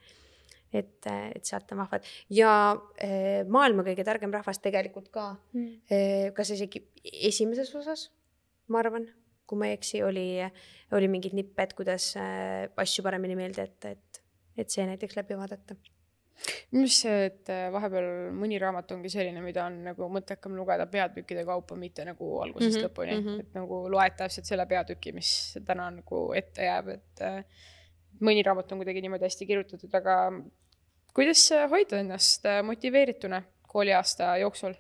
Et, et sealt on vahvad. Ja eh, maailma kõige targem rahvas tegelikult ka, mm. eh, kas isegi esimeses osas, ma arvan, kui ma ei eksi, oli, oli mingid nipped, kuidas eh, asju paremini meelde, et, et, et see näiteks läbi vaadata. Mis see, et vahepeal mõni raamat ongi selline, mida on nagu mõttekam lugeda peatükkide kaupa, mitte nagu algusest mm-hmm, lõpuni, mm-hmm. et nagu loed täpselt selle peatüki, mis täna nagu ette jääb, et mõni raamat on kuidagi niimoodi hästi kirjutatud, aga kuidas hoida ennast motiveerituna kooliaasta jooksul?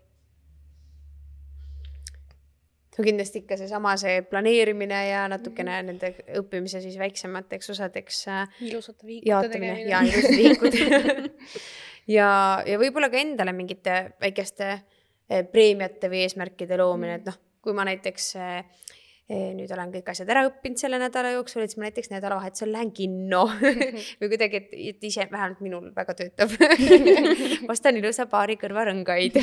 No kindlasti ikka see sama see planeerimine ja natukene mm-hmm. nende õppimise siis väiksemateks osadeks ilusate viikute tegemine. Ja ilusate viikute. ja, ja võib-olla ka endale mingite väikeste preemiate või eesmärkide loomine, et noh, kui ma näiteks nüüd olen kõik asjad ära õppinud selle nädala jooksul, et ma näiteks nädalavahetusel lähen kinno või kuidagi, et, et ise vähemalt minul väga töötab. Ostan ilusa paari kõrvarõngaid.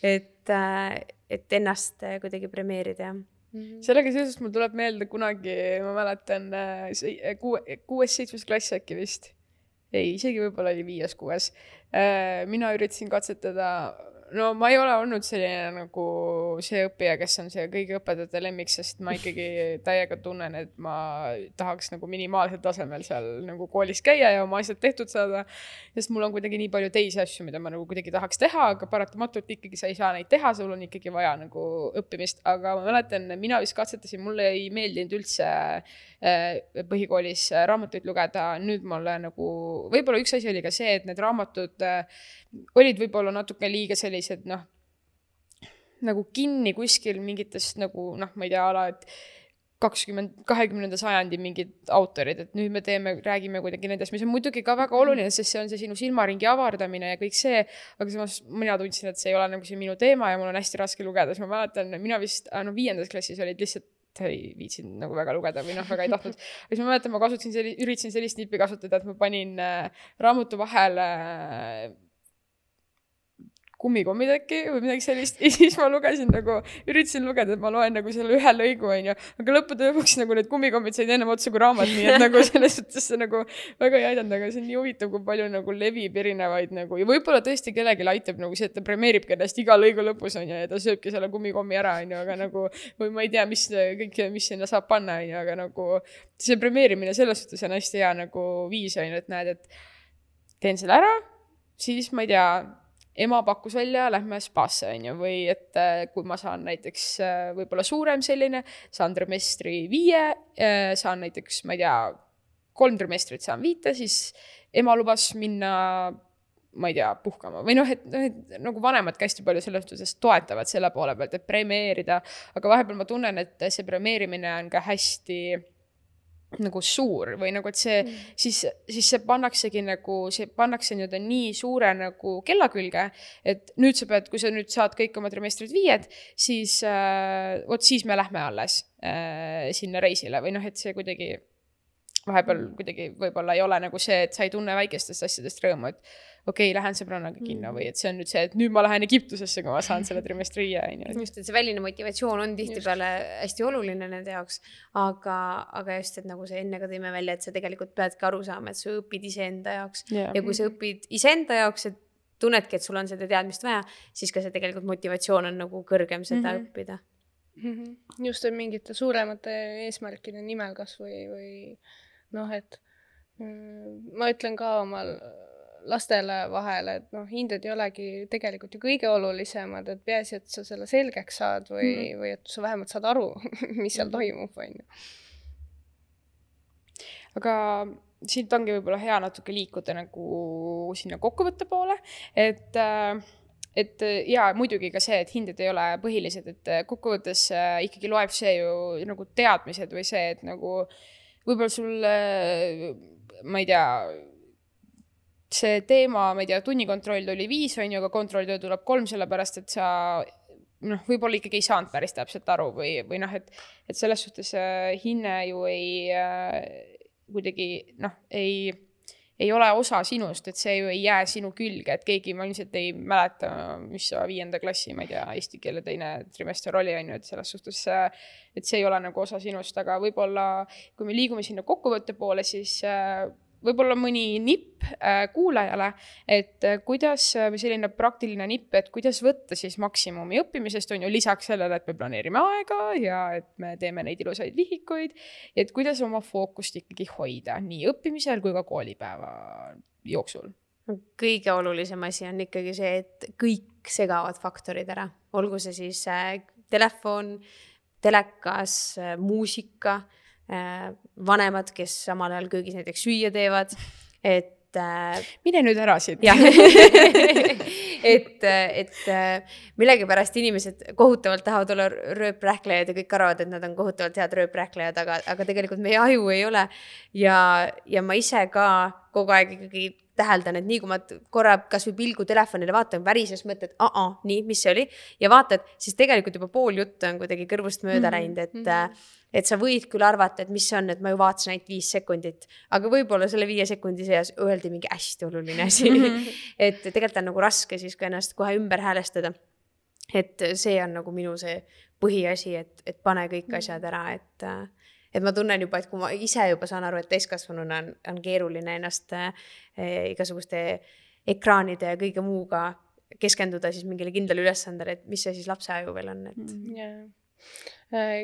et, et ennast kuidagi premeerida. Mm-hmm. Sellega seoses mul tuleb meelde kunagi, ma mäletan kuues-seitsmes klass äkki vist. Ei, isegi võib-olla oli viies, kuues. Mina üritasin katsetada, no ma ei ole olnud selline nagu see õppija, kes on see kõigi õpetajate lemmik, sest ma ikkagi täiega tunnen, et ma tahaks nagu minimaalsel tasemel seal nagu koolis käia ja oma asjad tehtud saada, sest mul on kuidagi nii palju teisi asju, mida ma nagu kuidagi tahaks teha, aga paratamatult ikkagi sa ei saa neid teha, sul on ikkagi vaja nagu õppimist, aga ma mäletan, mina vist katsetasin, mulle ei meeldinud üldse põhikoolis raamatuid lugeda, nüüd mulle nagu, võib-olla üks asi oli ka see, et need raamatud olid võib-olla natuke liiga sellised, noh, nagu kinni kuskil mingitest nagu, noh, ma ei tea, ala, et kakskümmend, kahekümnenda sajandi mingid autorid, et nüüd me teeme, räägime kuidagi nendest, mis on muidugi ka väga oluline, sest see on see sinu silmaringi avardamine ja kõik see, aga samas mina tundsin, et see ei ole nagu see minu teema ja mul on hästi raske lugeda, siis ma mäletan, mina vist, no viiendas klassis olid lihtsalt ei viitsin nagu väga lugeda või noh, väga ei tahtnud. Siis ma mäletan, ma kasutasin selli, üritasin sellist nippi kasutada, et ma panin äh, raamatu vahele äh, kummikommid äkki või midagi sellist. Ja siis ma lugesin nagu, üritasin lugeda, et ma loen nagu selle ühe lõigu, on ju. Aga lõppude lõpuks nagu need kummikommid said ennem otsa kui raamat, nii et nagu selles suhtes see nagu väga ei aidanud, aga see on nii huvitav, kui palju nagu levib erinevaid nagu, ja võib-olla tõesti kellegi aitab nagu see, et ta premeeribki ennast iga lõigu lõpus, on ju, ja ta sööbki selle kummikommi ära, on ju, aga nagu, või ma ei tea, mis kõik, mis sinna saab panna, on ju, aga nagu see premeerimine selles suhtes on hästi hea nagu viis, on ju, et näed, et teen selle ära, siis ma ei tea, ema pakkus välja, lähme spaasse, on ju, või et kui ma saan näiteks võib-olla suurem selline, saan trimestri viie, saan näiteks, ma ei tea, kolm trimestrit saan viite, siis ema lubas minna, ma ei tea, puhkama. Või noh, et, et nagu vanemad hästi palju selles suhtes toetavad selle poole pealt, et premeerida, aga vahepeal ma tunnen, et see premeerimine on ka hästi nagu suur või nagu, et see mm. siis, siis see pannaksegi nagu, see pannakse nii, nii suure nagu kella külge, et nüüd sa pead, kui sa nüüd saad kõik oma trimestrid viied, siis äh, oot, siis me lähme alles äh, sinna reisile või noh, et see kuidagi vahepeal kuidagi võib-olla ei ole nagu see, et sa ei tunne väikestest asjadest rõõmu, et okei, okay, lähen sõbrannaga kinno mm. või et see on nüüd see, et nüüd ma lähen Egiptusesse, kui ma saan selle trimestri viie. Just, et see väline motivatsioon on tihtipeale hästi oluline nende jaoks, aga, aga just, et nagu see enne ka tõime välja, et sa tegelikult peadki aru saama, et sa õpid iseenda jaoks yeah. ja kui sa õpid iseenda jaoks, et tunnedki, et sul on seda teadmist vaja, siis ka see tegelikult motivatsioon on nagu kõrgem seda mm-hmm. õppida. Mm-hmm. Just, et mingite suuremate eesmärkide nimel kas või, või noh, et mm, ma ütlen ka omal lastele vahele, et noh, hinded ei olegi tegelikult ju kõige olulisemad, et peaasi, et sa selle selgeks saad või, mm. või et sa vähemalt saad aru, mis seal toimub, on ju. Aga siit ongi võib-olla hea natuke liikuda nagu sinna kokkuvõtte poole, et, et ja muidugi ka see, et hinded ei ole põhilised, et kokkuvõttes ikkagi loeb see ju nagu teadmised või see, et nagu võib-olla sul, ma ei tea, see teema, ma ei tea, tunnikontroll tuli viis, on ju, aga kontrolltöö tuleb kolm, sellepärast, et sa noh, võib-olla ikkagi ei saanud päris täpselt aru või, või noh, et, et selles suhtes hinne ju ei kuidagi, noh, ei, ei ole osa sinust, et see ju ei jää sinu külge, et keegi ma ilmselt ei mäleta, mis viienda klassi, ma ei tea, eesti keele teine trimester oli, on ju, et selles suhtes, et see ei ole nagu osa sinust, aga võib-olla, kui me liigume sinna kokkuvõtte poole, siis võib-olla mõni nipp äh, kuulajale, et äh, kuidas, või selline praktiline nipp, et kuidas võtta siis maksimumi õppimisest, on ju lisaks sellele, et me planeerime aega ja et me teeme neid ilusaid vihikuid, et kuidas oma fookust ikkagi hoida nii õppimisel kui ka koolipäeva jooksul. Kõige olulisem asi on ikkagi see, et kõik segavad faktorid ära. Olgu see siis äh, telefon, telekas, äh, muusika, vanemad, kes samal ajal köögis näiteks süüa teevad, et äh, mine nüüd ära siit. et, et millegipärast inimesed kohutavalt tahavad olla rööprähklejad ja kõik arvavad, et nad on kohutavalt head rööprähklejad, aga, aga tegelikult meie aju ei ole ja, ja ma ise ka kogu aeg ikkagi täheldan, et nii kui ma korra kas või pilgu telefonile vaatan, värises mõtled, aa, nii, mis see oli? Ja vaatad, siis tegelikult juba pool juttu on kuidagi kõrvust mööda läinud, et, mm-hmm. et sa võid küll arvata, et mis see on, et ma ju vaatasin ainult viis sekundit, aga võib-olla selle viie sekundi seas öeldi mingi hästi oluline asi. Mm-hmm. et tegelikult on nagu raske siis ka ennast kohe ümber häälestada. Et see on nagu minu see põhiasi, et, et pane kõik asjad ära, et, et ma tunnen juba, et kui ma ise juba saan aru, et täiskasvanuna on, on keeruline ennast eh, igasuguste ekraanide ja kõige muuga keskenduda siis mingile kindlale ülesandele, et mis see siis lapse aju veel on, et yeah.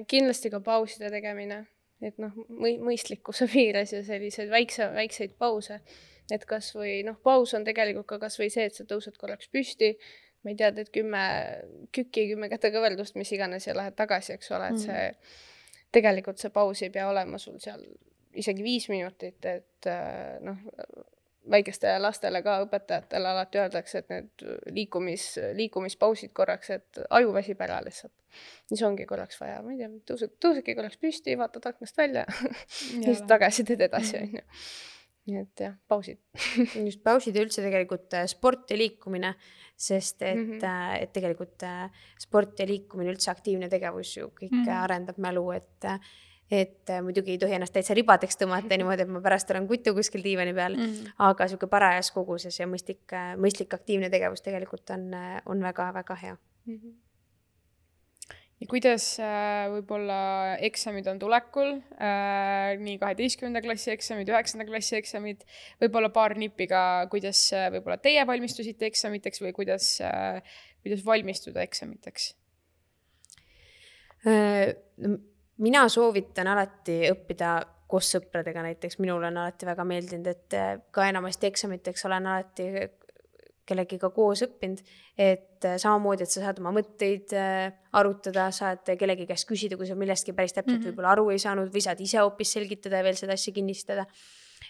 Kindlasti ka pauside tegemine, et noh, mõistlikkuse piires ja selliseid väikse, väikseid pause, et kas või noh, paus on tegelikult ka kas või see, et sa tõused korraks püsti, ma ei tea, teed kümme kükki, kümme kätekõveldust, mis iganes ja lähed tagasi, eks ole, et see tegelikult see paus ei pea olema sul seal isegi viis minutit, et noh, väikeste lastele ka õpetajatele alati öeldakse, et need liikumis, liikumispausid korraks, et aju väsib ära lihtsalt. Siis ongi korraks vaja, ma ei tea, tõused, tõusedki korraks püsti, vaatad aknast välja ja siis tagasi teed edasi, on ju. Nii et jah, pausid. Just pausid ja üldse tegelikult sport ja liikumine, sest et, mm -hmm. et tegelikult sport ja liikumine, üldse aktiivne tegevus ju kõik mm -hmm. arendab mälu, et et muidugi ei tohi ennast täitsa ribadeks tõmmata niimoodi, et ma pärast olen kutu kuskil diivani peal, mm -hmm. aga siuke parajas koguses ja mõistlik, mõistlik aktiivne tegevus tegelikult on, on väga-väga hea. Mm -hmm. Ja kuidas äh, võib-olla eksamid on tulekul, äh, nii kaheteistkümnenda klassi eksamid, üheksanda klassi eksamid, võib-olla paar nippiga, kuidas äh, võib-olla teie valmistusite eksamiteks või kuidas, äh, kuidas valmistuda eksamiteks? Äh, mina soovitan alati õppida koos sõpradega, näiteks minul on alati väga meeldinud, et ka enamasti eksamiteks olen alati kellegiga koos õppinud, et samamoodi, et sa saad oma mõtteid arutada, saad kellegi käest küsida, kui sa millestki päris täpselt mm-hmm. võib-olla aru ei saanud või saad ise hoopis selgitada ja veel seda asja kinnistada.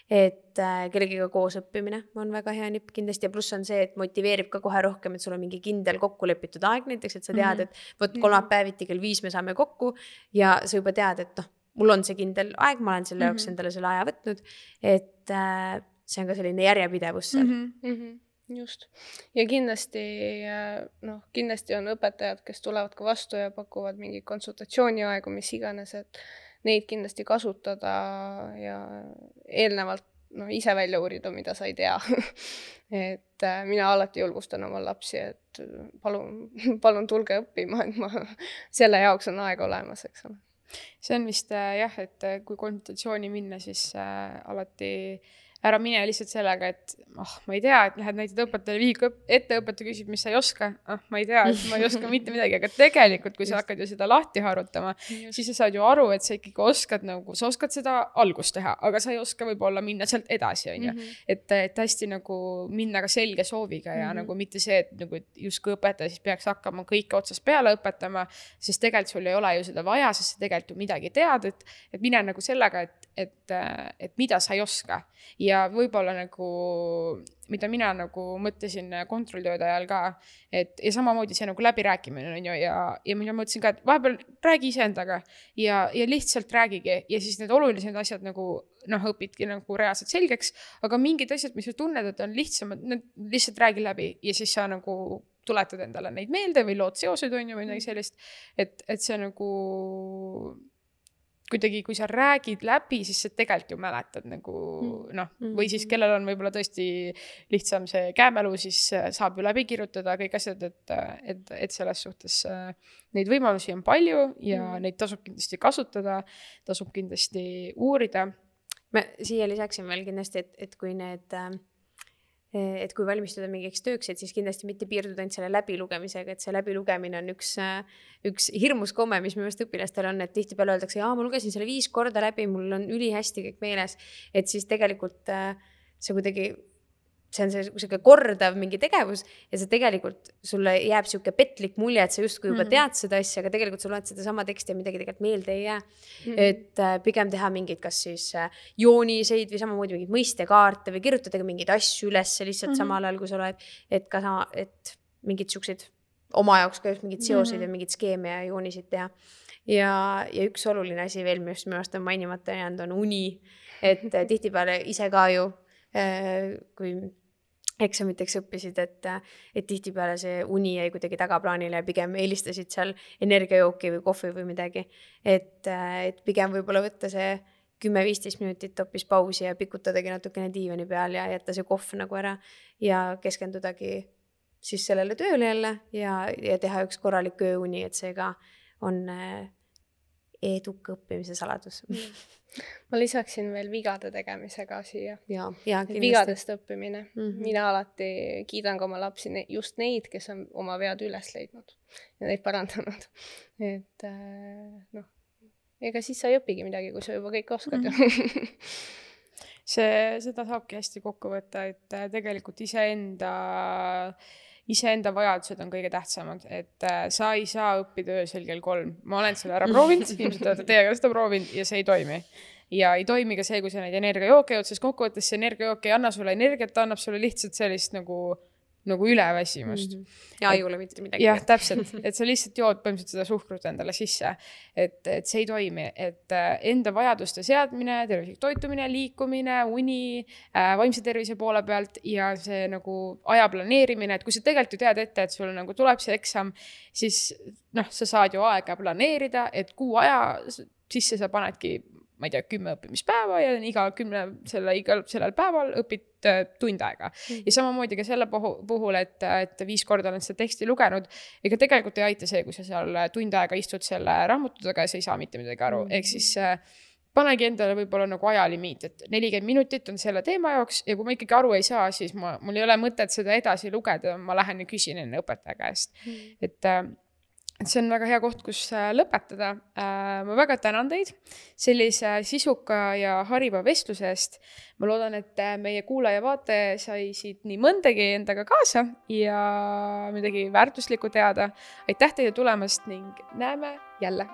Et kellegiga koos õppimine on väga hea nipp kindlasti ja pluss on see, et motiveerib ka kohe rohkem, et sul on mingi kindel kokku lepitud aeg näiteks, et sa tead, et võt kolmapäeviti kell viis me saame kokku ja sa juba tead, et noh, mul on see kindel aeg, ma olen selle jaoks mm-hmm. endale selle aja võtnud, et äh, see on ka selline järjepidevus seal. Mm-hmm. Just. Ja kindlasti, noh, kindlasti on õpetajad, kes tulevad ka vastu ja pakuvad mingi konsultatsiooniaegu, mis iganes, et neid kindlasti kasutada ja eelnevalt no, ise välja uurida, mida sa ei tea. et mina alati julgustan oma lapsi, et palun, palun tulge õppima, et ma, selle jaoks on aeg olemas, eks ole. See on vist jah, et kui konsultatsiooni minna, siis äh, alati ära mine lihtsalt sellega, et oh, ma ei tea, et lähed näitad õpetajale viiku ette, õpetaja küsib, mis sa ei oska. Oh, ma ei tea, et ma ei oska mitte midagi, aga tegelikult, kui sa hakkad ju seda lahti harutama, Just. siis sa saad ju aru, et sa ikkagi oskad, nagu, sa oskad seda algust teha, aga sa ei oska võib-olla minna sealt edasi, on ju. Mm -hmm. et, et hästi nagu minna ka selge sooviga ja mm -hmm. nagu mitte see, et nagu justkui õpetaja siis peaks hakkama kõike otsast peale õpetama, sest tegelikult sul ei ole ju seda vaja, sest sa tegelikult ju midagi tead, et, et mine nagu sellega, et, et, et mida sa ei oska. Ja võib-olla nagu, mida mina nagu mõtlesin kontrolltööde ajal ka, et ja samamoodi see nagu läbirääkimine on ju ja, ja mina mõtlesin ka, et vahepeal räägi iseendaga ja, ja lihtsalt räägigi ja siis need olulised asjad nagu noh, õpidki nagu reaalselt selgeks, aga mingid asjad, mis sa tunned, et on lihtsamad, need lihtsalt räägi läbi ja siis sa nagu tuletad endale neid meelde või lood seosed on ju või midagi sellist, et, et see nagu kuidagi, kui sa räägid läbi, siis sa tegelikult ju mäletad nagu noh, või siis kellel on võib-olla tõesti lihtsam see käemälu, siis saab ju läbi kirjutada kõik asjad, et, et, et selles suhtes neid võimalusi on palju ja mm. neid tasub kindlasti kasutada, tasub kindlasti uurida. Ma siia lisaksin veel kindlasti, et, et kui need et kui valmistuda mingiks tööks, et siis kindlasti mitte piirduda ainult selle läbilugemisega, et see läbilugemine on üks, üks hirmus komme, mis minu õpilastel on, et tihtipeale öeldakse, jaa, ma lugesin selle viis korda läbi, mul on ülihästi kõik meeles, et siis tegelikult see kuidagi, see on see kordav mingi tegevus ja see tegelikult sulle jääb siuke petlik mulje, et sa justkui juba tead seda asja, aga tegelikult sa loed seda sama teksti ja midagi tegelikult meelde ei jää. Mm-hmm. Et pigem teha mingid kas siis jooniseid või samamoodi mingid mõistekaarte või kirjutada mingeid asju üles lihtsalt mm-hmm. samal ajal, kui sa loed, et ka sama, et mingid siuksed oma jaoks ka just mingid seoseid mm-hmm. ja mingid skeeme ja joonisid teha. Ja, ja üks oluline asi veel, mis minu arust on mainimata jäänud, on uni, et tihtipeale ise ka ju kui eksamiteks õppisid, et, et tihtipeale see uni jäi kuidagi tagaplaanile ja pigem eelistasid seal energiajooki või kohvi või midagi. Et, et pigem võib-olla võtta see kümme-viisteist minutit hoopis pausi ja pikutadagi natukene diivani peal ja jätta see kohv nagu ära ja keskendudagi siis sellele tööle jälle ja, ja teha üks korralik ööuni, et see ka on eduka õppimise saladus. Ma lisaksin veel vigade tegemise ka siia. Ja, ja vigadest õppimine. Mm -hmm. Mina alati kiidan ka oma lapsi just neid, kes on oma vead üles leidnud ja neid parandanud. Et noh, ega siis sa ei õpigi midagi, kui sa juba kõik oskad. Mm -hmm. see, seda saabki hästi kokku võtta, et tegelikult iseenda iseenda vajadused on kõige tähtsamad, et sa ei saa õppida öösel kell kolm. Ma olen selle ära proovinud, ilmselt olete teiega seda proovinud ja see ei toimi. Ja ei toimi ka see, kui sa neid energiajooke jood, sest kokkuvõttes see energiajook ei anna sulle energiat, ta annab sulle lihtsalt sellist nagu nagu üleväsimust. Mm -hmm. Ja ei ole mitte midagi. Jah, täpselt, et sa lihtsalt jood põhimõtteliselt seda suhkrut endale sisse, et, et see ei toimi, et enda vajaduste seadmine, tervislik toitumine, liikumine, uni, vaimse tervise poole pealt ja see nagu aja planeerimine, et kui sa tegelikult ju tead ette, et sul nagu tuleb see eksam, siis noh, sa saad ju aega planeerida, et kuu aja sisse sa panedki ma ei tea, kümme õppimispäeva ja iga kümne selle, igal sellel päeval õpid tund aega. Mm. Ja samamoodi ka selle puhul, et, et viis korda olen seda teksti lugenud, ega tegelikult ei aita see, kui sa seal tund aega istud selle raamatudaga ja sa ei saa mitte midagi aru. Mm. Ehk siis panegi endale võib-olla nagu ajalimiit, et nelikümmend minutit on selle teema jaoks ja kui ma ikkagi aru ei saa, siis ma, mul ei ole mõtet seda edasi lugeda, ma lähen ja küsin enne õpetaja käest. Mm. Et Et see on väga hea koht, kus lõpetada. Ma väga tänan teid sellise sisuka ja hariva vestluse eest. Ma loodan, et meie kuulaja vaate sai siit nii mõndagi endaga kaasa ja midagi väärtuslikku teada. Aitäh teile tulemast ning näeme jälle!